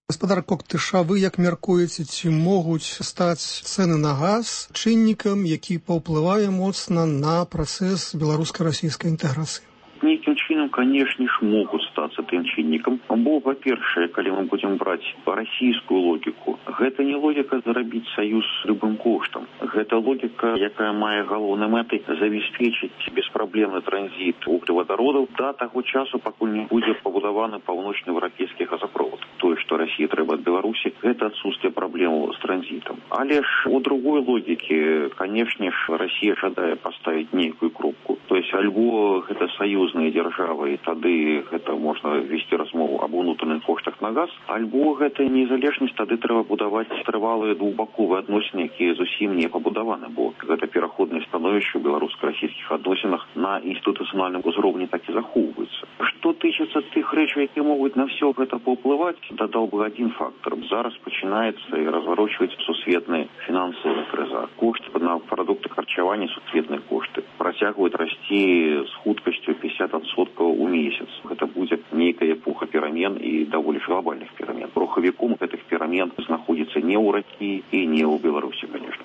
Гаспадар Коктыша, вы як мяркуеце, ці могуць стаць цэны на газ чыннікам, які паўплывае моцна на працэс беларуска-расійскай інтэграцыі? Нейкім чынам, канешне ж, могуць стацца тым чыннікам. Бо, па-першае, калі мы будзем браць расійскую логіку, гэта не логіка зарабіць саюз любым коштам. Гэта логіка, якая мае галоўнай мэтай забяспечыць беспраблемны транзіт вуглевадародаў да таго часу, пакуль не будзе пабудаваны паўночнаеўрапейскі газапровод. Тое, што Расіі трэба ад Беларусі, гэта адсутствие праблемаў з транзітам. Але ж у другой логікі, канешне ж, Расія жадае паставіць нейкую кропку. То есть, альбо гэта саюз дзяржавы, і тады гэта можна весці размову аб унутраных коштах на газ, альбо гэта незалежнасць, тады трэба будаваць трывалыя двухбаковыя адносіны, якія зусім не пабудаваны, бо гэта пераходнае становішча ў беларуска-расійскіх адносінах на інстытуцыянальным узроўні так і захоўваецца. Што тычыцца тых рэчаў, якія могуць на ўсё гэта паўплываць, дадаў бы адзін фактор. Зараз пачынаецца і разварочваць сусветная фінансавая крыза. Кошты на прадукты харчавання, сусветныя кошты працягваюць расці з хуткасцю пятьдесят адсоткаў у месяц. Гэта будзе нейкая эпоха перамен і даволі глобальных перамен. Рухавіком гэтых перамен знаходзіцца не ў Расіі і не ў Беларусі, конечно.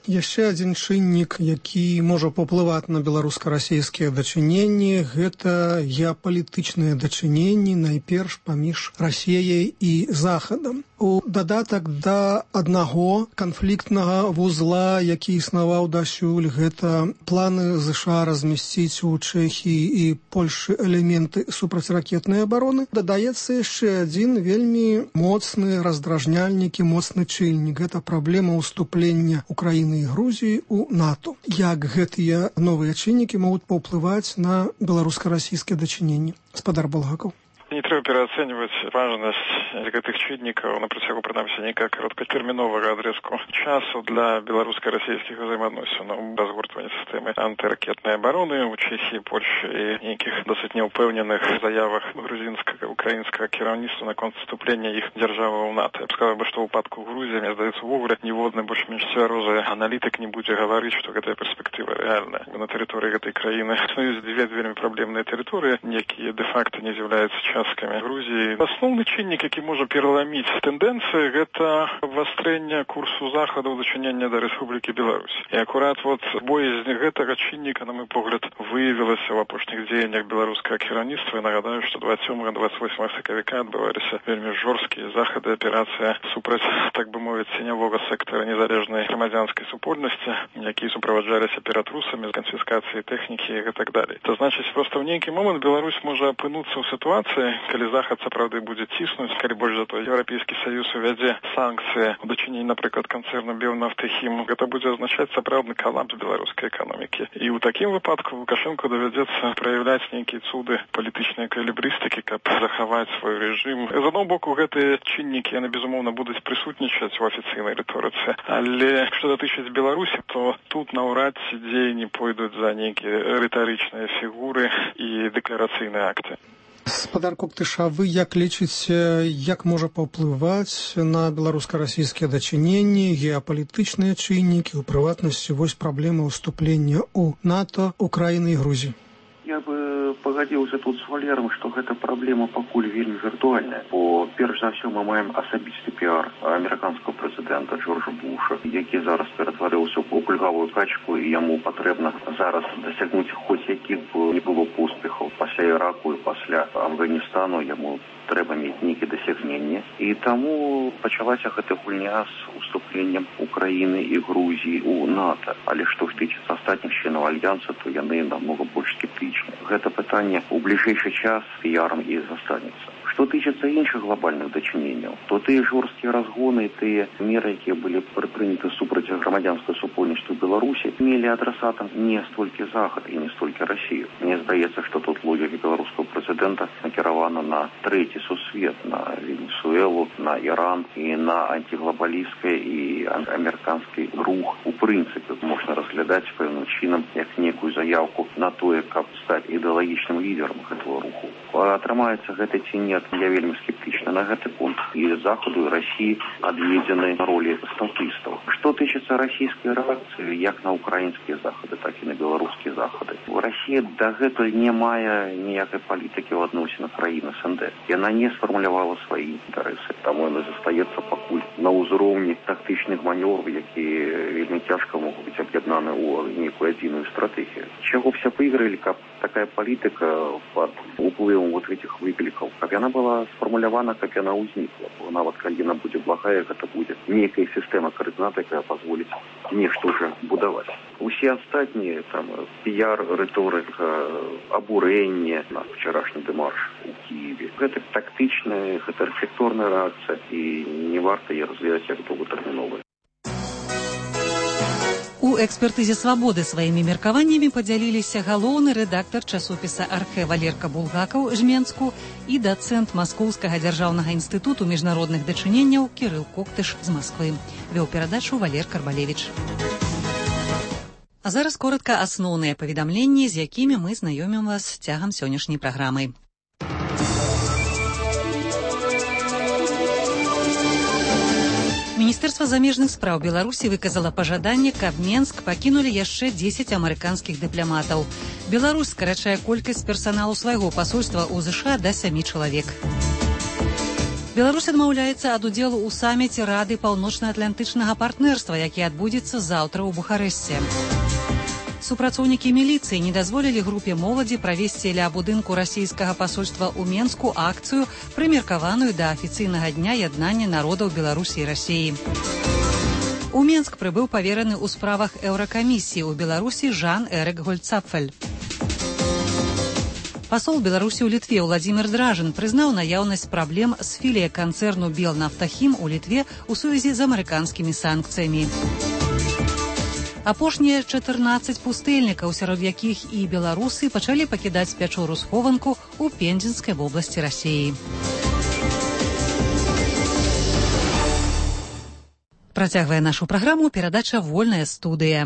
Яшчэ адзін чыннік, які можа паўплываць на беларуска-расійскія дачыненні, гэта геапалітычныя дачыненні найперш паміж Расіяй і Захадам. У дадатак да аднаго канфліктнага вузла, які існаваў дасюль, гэта планы ЗША размясціць у Чэхіі і Польшы элементы супрацьракетнай абароны, дадаецца яшчэ адзін вельмі моцны раздражняльнік і моцны чыннік. Гэта праблема ўступлення Украіны і Грузіі у НАТО. Як гэтыя новыя чыннікі могуць паўплываць на беларуска-расійскія дачыненні? Гаспадар Булгакаў. Не трэба пераацэньваць важнасць гэтых чыннікаў на працягу, прынамсі, нейкага кароткатэрміновага адрэзку часу для беларуска-расійскіх узаемаадносінаў, разгортвання сістэмы антыракетнай абароны ў Чэхіі, Польшы і нейкіх досыць няўпэўненых заявах грузінскага, украінскага кіраўніцтва наконт вступлення іх дзяржавы ў НАТО. Я б сказаў, што ў выпадку Грузіі, мне здаецца, увогуле ніводны больш-менш цвярозы аналітык не будзе гаварыць, што гэтая перспектыва рэальная. На тэрыторыі гэтай краіны існуюць дзве вельмі праблемныя тэрыторыі, якія дэ-факта не з'яўляюцца часткамі Грузіі. Асноўны чыннік, які можа пераламіць тэндэнцыі, гэта абвастрэнне курсу захаду ў дачыненні да Рэспублікі Беларусь. І акурат вот боязь гэтага чынніка, на мой погляд, выявілася ў апошніх дзеяннях беларускага кіраўніцтва. І нагадаю, што двадцять сёмага двадцять восьмага сакавіка адбываліся вельмі жорсткія захады, аперацыя супраць, так бы мовіць, ценявога сектара незалежнай грамадзянскай супольнасці, якія суправаджаліся ператрусамі з канфіскацыяй тэхнікі і так далей. То значыць, проста ў нейкі момант Беларусь можа апынуцца ў сітуацыі, калі захад сапраўды будзе ціснуць, калі больш за то Еўрапейскі Саюз увядзе санкцыі ў дачыненні, напрыклад, канцэрну Белнафтэхім, гэта будзе азначаць сапраўдны калапс беларускай эканомікі. І ў такім выпадку Лукашэнку давядзецца праяўляць нейкія цуды палітычнай эквілібрыстыкі, каб захаваць свой рэжым. З аднаго боку, гэтыя чыннікі, яны, безумоўна, будуць прысутнічаць у афіцыйнай рыторыцы. Але што датычыць Беларусі, то тут наўрад ці дзеянні пойдуць за нейкія рытарычныя фігуры і дэкларацыйныя акты. Гаспадар Коктыша, вы як лічыце, як можа паўплываць на беларуска-расійскія дачыненні, геапалітычныя чыннікі, у прыватнасці вось праблема ўступлення ў НАТО, Украіны і Грузіі? Я бы пагадзіўся тут з Валером, што гэта праблема пакуль вельмі віртуальная, бо перш за ўсё мы маем асабісты піар амерыканскага прэзідэнта Джорджа Буша, які зараз ператварыўся ў кульгавую качку, і яму патрэбна зараз дасягнуць хоць якіх бы не было поспехаў. Пасля Іраку і пасля Афганістану яму трэба мець нейкія дасягненні. І таму пачалася гэта гульня з уступленнем Украіны і Грузіі ў НАТО. Але што тычыцца астатніх членаў альянса, то яны намного больш скептычны. Гэта пытанне сёння у ближайший час піярам і застанецца. Што тычыцца іншых глобальных дачыненняў, то тыя жорсткія разгоны, тыя меры, якія былі прыняты супраць грамадзянскага супольнасці ў Беларусі, мелі адрасатам не столькі Захад і не столькі Расію. Мне здаецца, што тут логіка беларускага прэзідэнта накіравана на трэці сусвет, на Венесуэлу, на Іран і на антиглобалісцкае і амерыканскі рух. У прынцыпе можна разглядаць пэўным чынам як некую заявку на тое, каб стаць ідэалагічным лідарам гэтага руху. Атрымаецца гэта ці не, я вельмі скептычна на гэты пункт. І Захаду, і Расіі адведзены ролі статыстаў. Што тычыцца расійскай рэакцыі, як на украінскія захады, так і на беларускія захады. Расія дагэтуль не мае ніякай палітыкі ў адносінах краін СНД. Яна не сфармулявала свае інтарэсы. Таму яна застаецца пакуль на ўзроўні тактычных манёвраў, якія вельмі цяжка могуць быць аб'яднаны ў нейкую адзіную стратэгію. Чаго б ся выйгралі, каб такая палітыка пад уплывам вот этих выклікаў, каб яна была сфармулявана, каб яна ўзнікла. Бо нават калі яна будзе благая, гэта будзе нейкая сістэма каардынат, якая пазволіць нешта ўжо будаваць. Усе астатнія там піяр, рыторыка, абурэнне на вчарашні дэмарш у Кіеве. Гэта тактычная, гэта архітэктурная рэакцыя і не варта яе разглядаць як доўгатэрміновая. У экспертызе «Свабоды» сваімі меркаваннямі падзяліліся галоўны рэдактар часопіса «Архэ» Валерка Булгакаў Жменску і дацэнт Маскоўскага дзяржаўнага інстытуту міжнародных дачыненняў Кірыл Коктыш з Масквы. Вёў перадачу Валер Карбалевіч. А зараз коротка асноўныя паведамленні, з якімі мы знаёмім вас цягам сённяшняй праграмы. Міністэрства замежных спраў Беларусі выказала пажаданне, каб Менск пакінулі яшчэ дзесяць амерыканскіх дыпламатаў. Беларусь скарачае колькасць персаналу свайго пасольства ў ЗША да сямі чалавек. Беларусь адмаўляецца ад удзелу ў саміце Рады паўночна-атлантычнага партнерства, які адбудзецца заўтра ў Бухарэсце. Супрацоўнікі міліцыі не дазволілі групе моладзі правесці ля будынку расійскага пасольства ў Менску акцыю, прымеркаваную да афіцыйнага дня яднання народаў Беларусі і Расіі. У Менск прыбыў павераны ў справах Еўракамісіі ў Беларусі Жан-Эрык Гольцапфель. Пасол Беларусі ў Літве Владзімір Дражын прызнаў наяўнасць праблем з філіяй канцэрну Белнафтахім у Літве ў сувязі з амерыканскімі санкцыямі. Апошнія чатырнаццаць пустэльнікаў, сярод якіх і беларусы, пачалі пакідаць пячору-схованку ў Пензенскай вобласці Расіі. Працягвае нашу праграму перадача «Вольная студыя».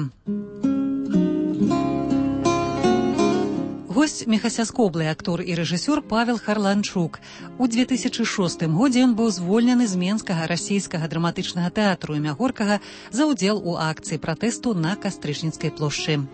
Госць мехасяскоблы актор і рэжысёр Павел Харланчук. У две тысячы шостым годзе ён быў звольнены з Менскага расійскага драматычнага тэатру імя Горкага за ўдзел у акцыі пратэсту на Кастрычніцкай плошчы.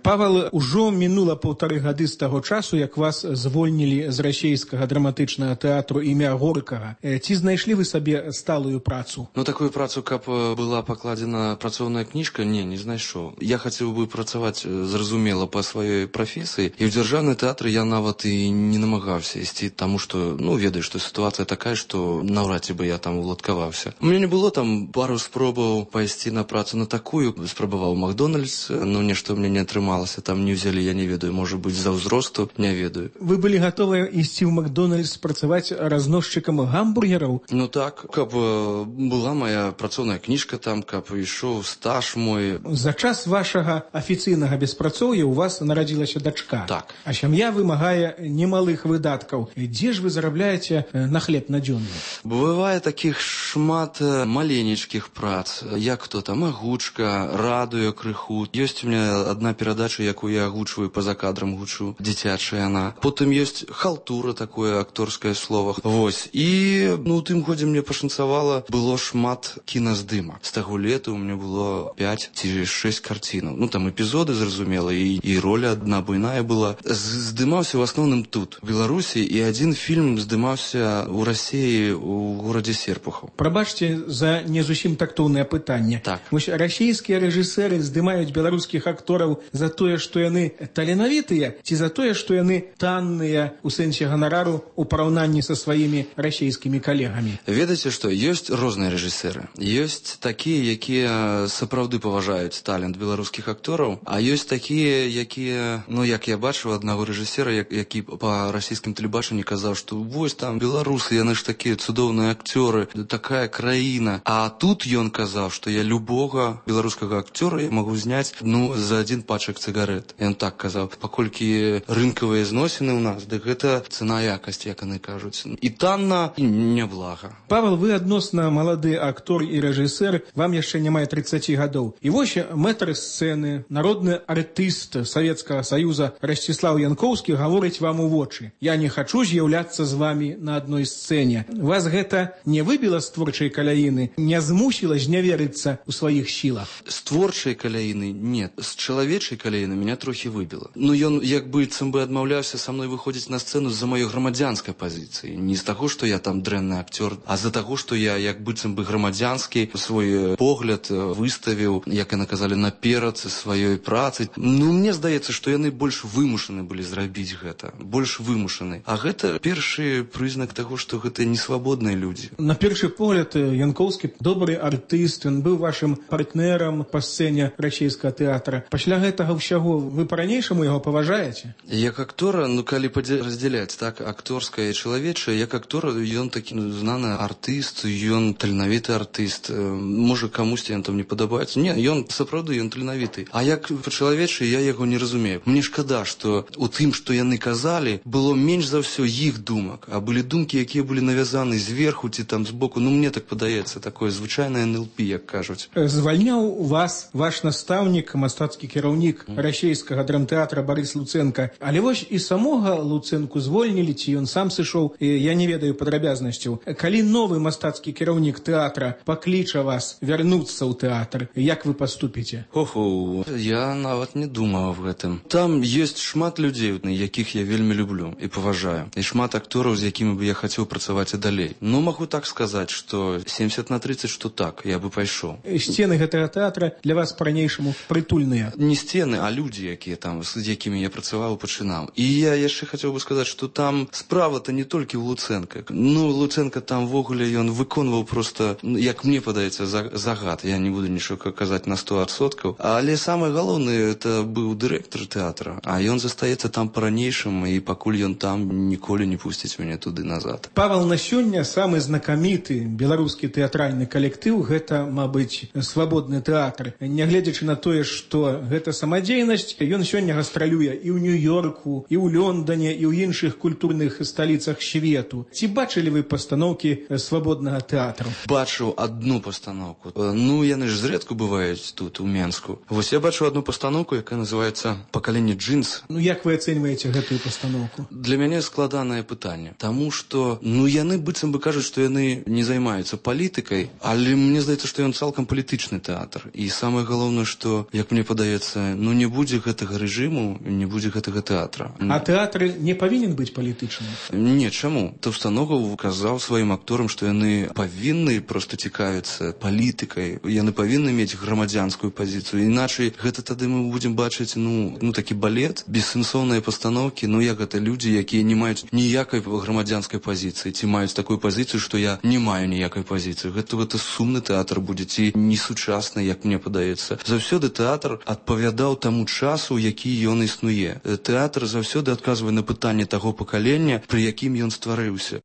Павел, ужо мінула паўтары гады з таго часу, як вас звольнілі з расійскага драматычнага тэатру імя Горкага. Ці знайшлі вы сабе сталую працу? Ну, такую працу, каб была пакладзена працоўная кніжка, не, не знайшоў. Я хацеў бы працаваць, зразумела, па сваёй прафесіі, і ў дзяржаўны тэатр я нават і не намагаўся ісці, таму што, ну, ведаю, што сітуацыя такая, што наўрад ці бы я там уладкаваўся. У мяне не было там пару спробаў пайсці на працу на такую, спрабаваў Макдональдс, но нешта ў мяне не атрымалася. Там не ўзялі, я не ведаю, можа быць, за ўзросту, не ведаю. Вы былі гатовыя ісці ў Макдональдс працаваць разносчыкам гамбургераў? Ну так, каб была моя працоўная кніжка там, каб ішоў стаж мой. За час вашага афіцыйнага беспрацоўя ў вас нарадзілася дачка. Так. А сям'я вымагае немалых выдаткаў. Дзе ж вы зарабляеце на хлеб надзённы? Бывае такіх шмат маленечкіх прац, як то там агучка, радыё крыху. Ёсць у меня адна перадача, якую я агучваю па-за кадрам гучу, дзіцячая яна. Потым ёсць халтура, такое акторскае слово. Вось. І, ну, у тым годзе мне пашанцавала, было шмат кіназдымак. З таго лета у меня было пяць ці шэсць карцінаў. Ну, там эпізоды, зразумела, і, і роля адна буйная была. Здымаўся ў асноўным тут, в Беларусі, і адзін фільм здымаўся ў Расіі, у горадзе Серпухаў. Прабачце за не зусім тактоўнае пытанне. Так. Вось расійскія рэжысэры здымаюць беларускіх актораў за тое, што яны таленавітыя, ці за тое, што яны танныя у сэнсе ганарару у параўнанні са сваімі расійскімі калегамі? Ведаеце што, ёсць розныя рэжысеры. Ёсць такія, якія сапраўды паважаюць талент беларускіх актораў, а ёсць такія, якія, ну як я бачыў аднаго рэжысера, які па расійскім тэлебачанні казаў, што вось там беларусы, яны ж такія цудоўныя акцёры, такая краіна. А тут ён казаў, што я любога беларускага акцёра магу зняць, ну, за адзін пачак цыгарэт. Ён так казаў, паколькі рынкавыя зносіны ў нас, дык гэта цана якасць, як яны кажуць. І танна, і няблага. Павел, вы адносна малады актор і рэжысер, вам яшчэ не мае трыццаці гадоў. І вось мэтр сцэны, народны артыст Савецкага Саюза Расціслаў Янкоўскі гаворыць вам у вочы: «Я не хачу з'яўляцца з вамі на адной сцэне». Вас гэта не выбіла з творчай каляіны, не змусіла зняверыцца ў сваіх сілах? З творчай каляіны нет. З чалавечай каляіны меня трохі выбіла. Ну, ён як быццам бы адмаўляўся са мной выходзіць на сцэну з-за маёй грамадзянскай пазіцыі. Не з таго, што я там дрэнны акцёр, а з-за таго, што я як быццам бы грамадзянскі свой погляд выставіў, як яны казалі, наперад сваёй працы. Ну, мне здаецца, што яны больш вымушаны былі зрабіць гэта. Больш вымушаны. А гэта першы прызнак таго, што гэта несвабодныя людзі. На першы погляд, Янкоўскі добры артыст, ён быў вашым партнерам па сцэне расійскага тэатра. Пасля гэтага ўсяго вы па-ранейшаму яго паважаеце? Як актора, ну, калі раздзяляць, так, акторскае і чалавечае, як актор, ён такі знаны артыст, ён таленавіты артыст. Можа, камусьці ён там не падабаецца. Не, ён сапраўды, ён таленавіты. А як па-чалавечы, я яго не разумею. Мне шкада, што у тым, што яны казалі, было менш за ўсё іх думак, а былі думкі, якія былі навязаны зверху ці там збоку. Ну, мне так падаецца, такое звычайнае эн эл пі, як кажуць. Звальняў вас ваш настаўнік, мастацкі кіраўнік расійскага драмтэатра Барыс Луценка. Але вось і самога Луценку звольнілі, ці ён сам сышоў, я не ведаю падрабязнасцяў. Калі новы мастацкі кіраўнік тэатра пакліча вас вярнуцца ў тэатр, як вы паступіце? Охо, я нават не думаў аб гэтым. Там ёсць шмат людзей, якіх я вельмі люблю і паважаю. І шмат актораў, з якімі бы я хацеў працаваць і далей. Ну, магу так сказаць, што семдзесят на тридцать, што так, я бы пайшоў. Сцены гэтага тэатра для вас па-ранейшаму прытульныя? Не сцены, а людзі, якія там, з якімі я працаваў, пачынаў. І я яшчэ хацеў бы сказаць, што там справа-то не толькі ў Луценка. Ну, Луценка там ввогуле ён выконваў проста, як мне падаецца, загад. Я не буду нічога казаць на сто адсоткаў. Але самае галоўнае, это быў дырэктар тэатра, а ён застаецца там па-ранейшаму, і пакуль ён там, ніколі не пусціць мяне туды назад. Павел, на сёння самы знакаміты беларускі тэатральны калектыў — гэта, мабыць, свабодны тэатр. Нягледзячы на тое, што гэта самадзейнасць, ён сёння гастралюе і ў Нью-Йорку, і ў Лондоне, і ў іншых культурных сталіцах свету. Ці бачылі вы пастаноўкі свабоднага тэатру? Бачыў адну пастаноўку. Ну, яны ж зрэдку бываюць тут, у Менску. Вось я бачыў адну пастаноўку, якая называецца «Пакаленне джинс». Ну, як вы ацэньваеце гэтую пастаноўку? Для мяне складанае пытанне. Таму што, ну, яны быццам бы кажуць, што яны не займаюцца палітыкай, але мне здаецца, што ён цалкам палітычны тэатр. І самае галоўнае, што, як мне падаецца, ну, не будзе гэтага рэжыму, не будзе гэтага тэатра. А тэатр не павінен быць палітычным? Не, чаму? Таўстаногаў казаў сваім акторам, што яны павінны проста цікавіцца палітыкай, яны павінны мець грамадзянскую пазіцыю. Іначай гэта тады мы будзем бачыць, ну, ну такі балет, бессэнсоўныя пастаноўкі, ну як гэта людзі, якія не маюць ніякай грамадзянскай пазіцыі, ці маюць такую пазіцыю, што я не маю ніякай пазіцыі. Гэта гэта сумны тэатр будзе, ці несучасны, як мне падаецца. Заўсёды тэатр адпавядаў таму часу, які ён існуе. Тэатр заўсёды адказвае на пытанне таго пакалення, пры якім ён стварыўся.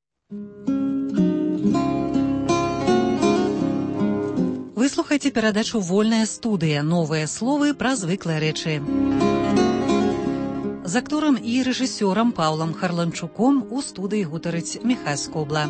Вы слухаеце перадачу «Вольная студыя». Новыя словы пра звыклыя рэчы. З акторам і рэжысёрам Паўлам Харланчуком у студыі гутарыць Міхась Скобла.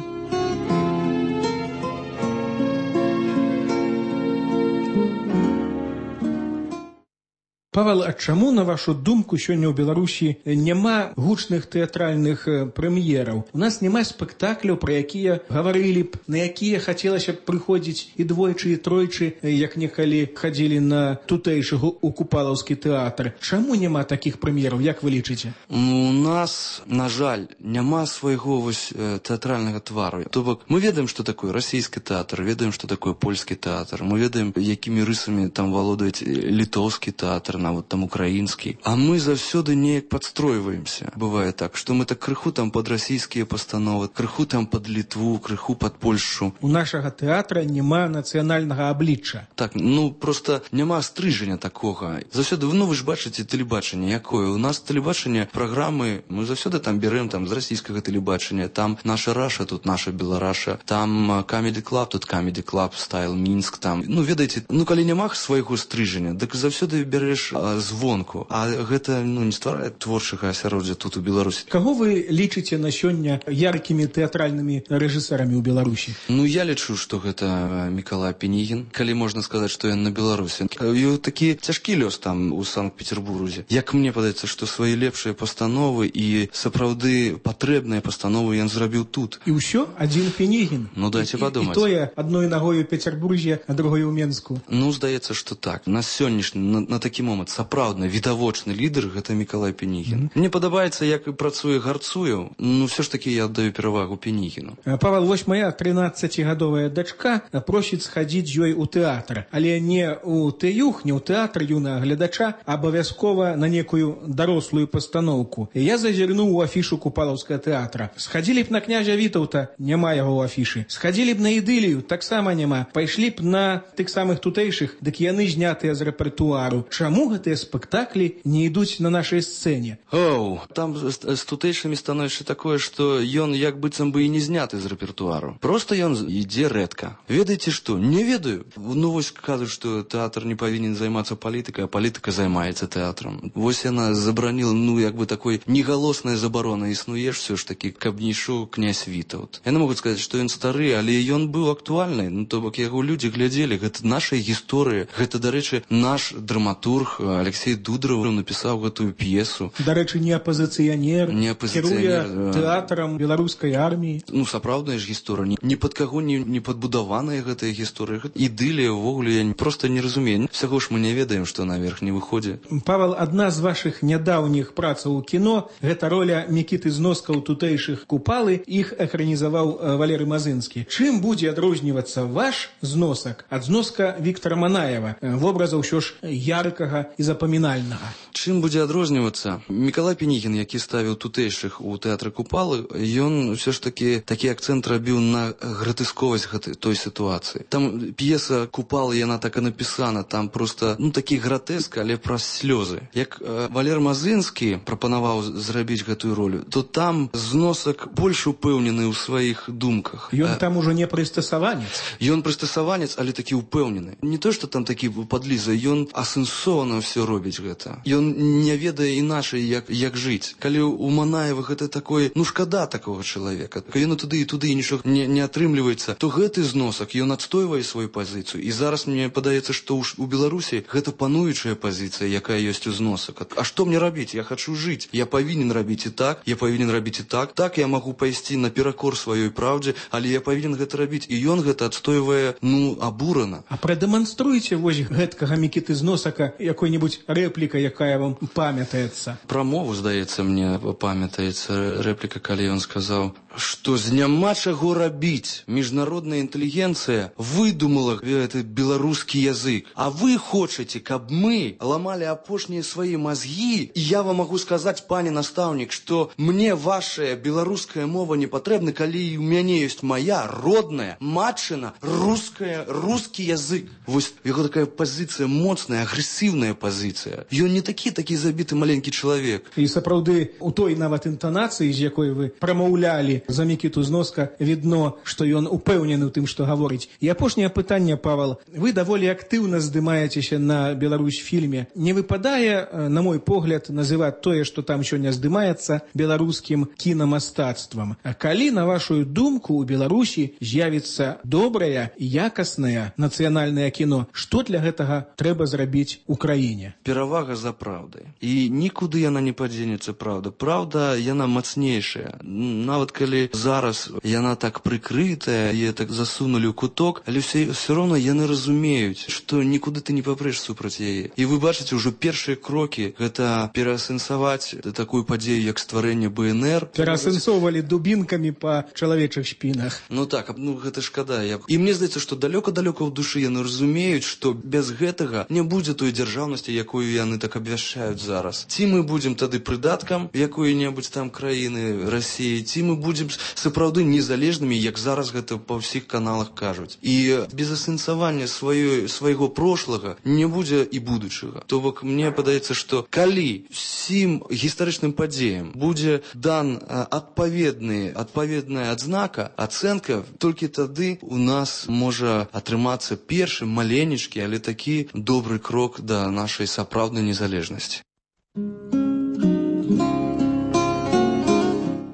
Павел, а чаму, на вашу думку, сёння ў Беларусі няма гучных тэатральных прэм'ераў? У нас няма спектакляў, пра якія гаварылі б, на якія хацелася б прыходзіць і двойчы, і тройчы, як некалі хадзілі на тутэйшы у Купалаўскі тэатр. Чаму няма такіх прэм'ераў, як вы лічыце? У нас, на жаль, няма свайго вось тэатральнага твару. То бок, мы ведаем, што такое расійскі тэатр, ведаем, што такое польскі тэатр, мы ведаем, якімі рысамі там валодаюць літоўскі тэатр, нават там украінскі. А мы заўсёды неяк падстройваемся. Бывае так, што мы так крыху там пад расійскія пастановы, крыху там пад Літву, крыху пад Польшу. У нашага тэатра няма нацыянальнага аблічча. Так, ну просто няма стрыжання такога. Заўсёды, ну вы ж бачыце тэлебачанне якое. У нас тэлебачанне, праграмы, мы заўсёды там берем там з расійскага тэлебачання, там наша Раша, тут наша Белараша, там Comedy Club, тут Comedy Club, Style Мінск, там. Ну ведаеце, ну калі няма свайго стрыжання, дык заўсёды береш а, звонку. А гэта ну не стварае творчага асяроддзя тут у Беларусі. Каго вы лічыце на сёння яркімі тэатральнымі рэжысэрамі ў Беларусі? Ну я лічу, што гэта Мікалай Пінігін, калі можна сказаць, што ён на Беларусі. І такі цяжкі лёс там у Санкт-Петербурзе. Як мне падаецца, што свае лепшыя пастановы і сапраўды патрэбныя пастановы ён зрабіў тут. І ўсё адзін Пінігін. Ну дайце падумаць. І тое адной нагой у Петербурзе, а другой у Менску. Ну здаецца, што так. На сённяшні на, на такі момант сапраўдны відавочны лідар гэта Мікалай Пінігін. Mm-hmm. Мне падабаецца, як працуе Гарцуеў. Ну все ж таки я аддаю перавагу Пінігіну. Павел, вось моя трынаццацігадовая дачка просіць схадзіць ёй у тэатр, але не у тэюх, не ў тэатр юнага гледача, а абавязкова на некую дарослую пастаноўку. Я зазірнуў у афішу Купалаўскага тэатра. Схадзілі б на княжа Вітаўта, няма яго ў афішы. Схадзілі б на ідылію, таксама няма. Пайшлі б на тых самых тутэйшых, дык яны знятыя з рэпертуару. Чаму гэтыя спектаклі не ідуць на нашай сцэне? Оу, там з, з тутэйшымі становішча такое, што ён як быццам бы і не зняты з рэпертуару. Просто ён ідзе рэдка. Ведаеце што? Не ведаю. Ну вось кажуць, што тэатр не павінен займацца палітыкай, а палітыка займаецца тэатрам. Вось яна забараніла, ну як бы такой негалосная забарона існуе все ж таки, каб не ішоў князь Вітаўт. Яны могуць сказаць, што ён стары, але ён быў актуальны. Ну то бок яго людзі глядзелі, гэта наша гісторыя. Гэта, дарэчы, наш драматург Алексей Дудраў напісаў гэтую п'есу. Дарэчы, не апазіцыянер, не апазіцыянер, кіруе тэатрам беларускай арміі. Ну сапраўдная ж гісторыя. Ні пад каго не, не падбудаваная гэтая гісторыя. Ідылія ўвогуле я проста не разумею. Всяго ж мы не ведаем, што наверх не выходзе. Павел, адна з вашых нядаўніх працаў у кіно гэта роля Мікіты Зноска ў тутэйшых Купалы, іх экранізаваў Валерый Мазынскі. Чым будзе адрознівацца ваш зносак ад зноска Віктора Манаева, вобраза ўсё ж яркага і запамінальнага? Чым будзе адрознівацца? Мікалай Пінігін, які ставіў тутэйшых у тэатры Купалы, ён ўсё ж такі такі акцэнт рабіў на гратэсковасць гэтай той сітуацыі. Там п'еса Купалы, яна так і напісана, там просто ну такі гратэск, але праз слёзы. Як э, Валер Мазынскі прапанаваў зрабіць гэтую ролю, то там зносак больш упэўнены ў сваіх думках. Ён там ужо не прыстасаванец. Ён прыстасаванец, але такі упэўнены. Не то, што там такі падліза, ён асэнсована ўсё робіць гэта. Ён не ведае іначай, як, як жыць. Калі у Манаева гэта такое, ну шкада такога чалавека. Калі ён туды і туды і нічога не, не атрымліваецца, то гэты зносак, ён адстойвае сваю пазіцыю. І зараз мне падаецца, што ў, у Беларусі гэта пануючая пазіцыя, якая ёсць у зносак. А што мне рабіць? Я хачу жыць. Я павінен рабіць і так, я павінен рабіць і так. Так я магу пайсці наперакор сваёй праўдзе, але я павінен гэта рабіць. І ён гэта адстойвае, ну, абурана. А прадэманструйце вось гэткага Мікіты Зносака якой-небудзь рэпліка, якая вам памятаецца. Пра мову, здаецца, мне памятаецца рэпліка, калі ён сказаў, што з няма чаго рабіць. Міжнародная інтэлігенцыя выдумала гэты беларускі язык. А вы хочаце, каб мы ламалі апошнія свае мазгі? І я вам магу сказаць, пане настаўнік, што мне вашая беларуская мова не патрэбна, калі у мяне ёсць моя родная, матчына, руская, рускі язык. Вось яго такая пазіцыя моцная, агрэсіўная пазіцыя. Ён не такі, такі забіты маленькі чалавек. І сапраўды, у той нават інтанацыі, з якой вы прамаўлялі за Мікіту Зноска, відно, што ён упэўнены ў тым, што гаворыць. І апошняе пытанне, Павел. Вы даволі актыўна здымаецеся на Беларусь-фільме. Не выпадае, на мой погляд, называць тое, што там сёння здымаецца, беларускім кінамастацтвам. А калі, на вашу думку, у Беларусі з'явіцца добрае і якаснае нацыянальнае кіно, што для гэтага трэба зрабіць у краіне? Перавага за праўдай. І нікуды яна не падзенецца, праўда. Праўда, яна мацнейшая. Нават калі калі зараз яна так прыкрытая, яе так засунулі ў куток, але все, все роўно яны разумеюць, што нікуды ты не папрэш супраць яе. І вы бачыце ўжо першыя крокі, гэта пераасэнсаваць такую падзею, як стварэнне бэ эн эр. Пераасэнсоўвалі дубінкамі па чалавечых спінах. Ну так, ну гэта шкада. Я... І мне здаецца, што далёка-далёка ў душы яны разумеюць, што без гэтага не будзе той дзяржаўнасці, якую яны так абвяшчаюць зараз. Ці мы будзем тады прыдаткам якой-небудзь там краіны Расіі, ці мы будзем сапраўды незалежнымі, як зараз гэта па ўсіх каналах кажуць. І без асэнсавання сваёй, свайго прошлага не будзе і будучага. То бок мне падаецца, што калі усім гістарычным падзеям будзе дан адпаведны, адпаведная адзнака, ацэнка, толькі тады у нас можа атрымацца першы маленечкі, але такі добры крок да нашай сапраўднай незалежнасці.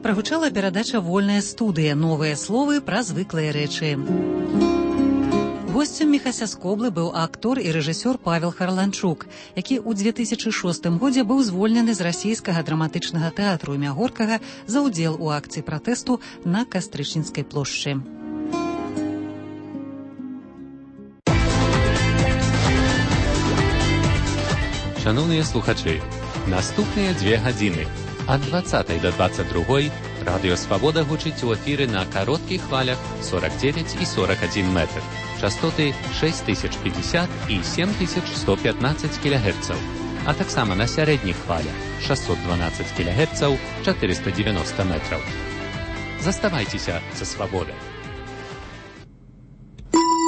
Прагучала перадача «Вольная студыя. Новыя словы пра звыклыя рэчы». Госцем Міхася Скоблы быў актор і рэжысёр Павел Харланчук, які ў две тысячы шостым годзе быў звольнены з расійскага драматычнага тэатру імя Горкага за ўдзел у акцыі пратэсту на Кастрычніцкай плошчы. Шановныя слухачы, наступныя дзве гадзіны ад дваццатай да дваццаць другой Радыё Свабода гучыць у эфіры на кароткіх хвалях сорок девять і сорок один метр, частоты шесть тысяч пятьдесят і семь тысяч сто пятнадцать кілогерцаў, а таксама на сярэдніх хвалях шестьсот двенадцать кілогерцаў, четыреста девяносто метраў. Заставайцеся са Свабодай.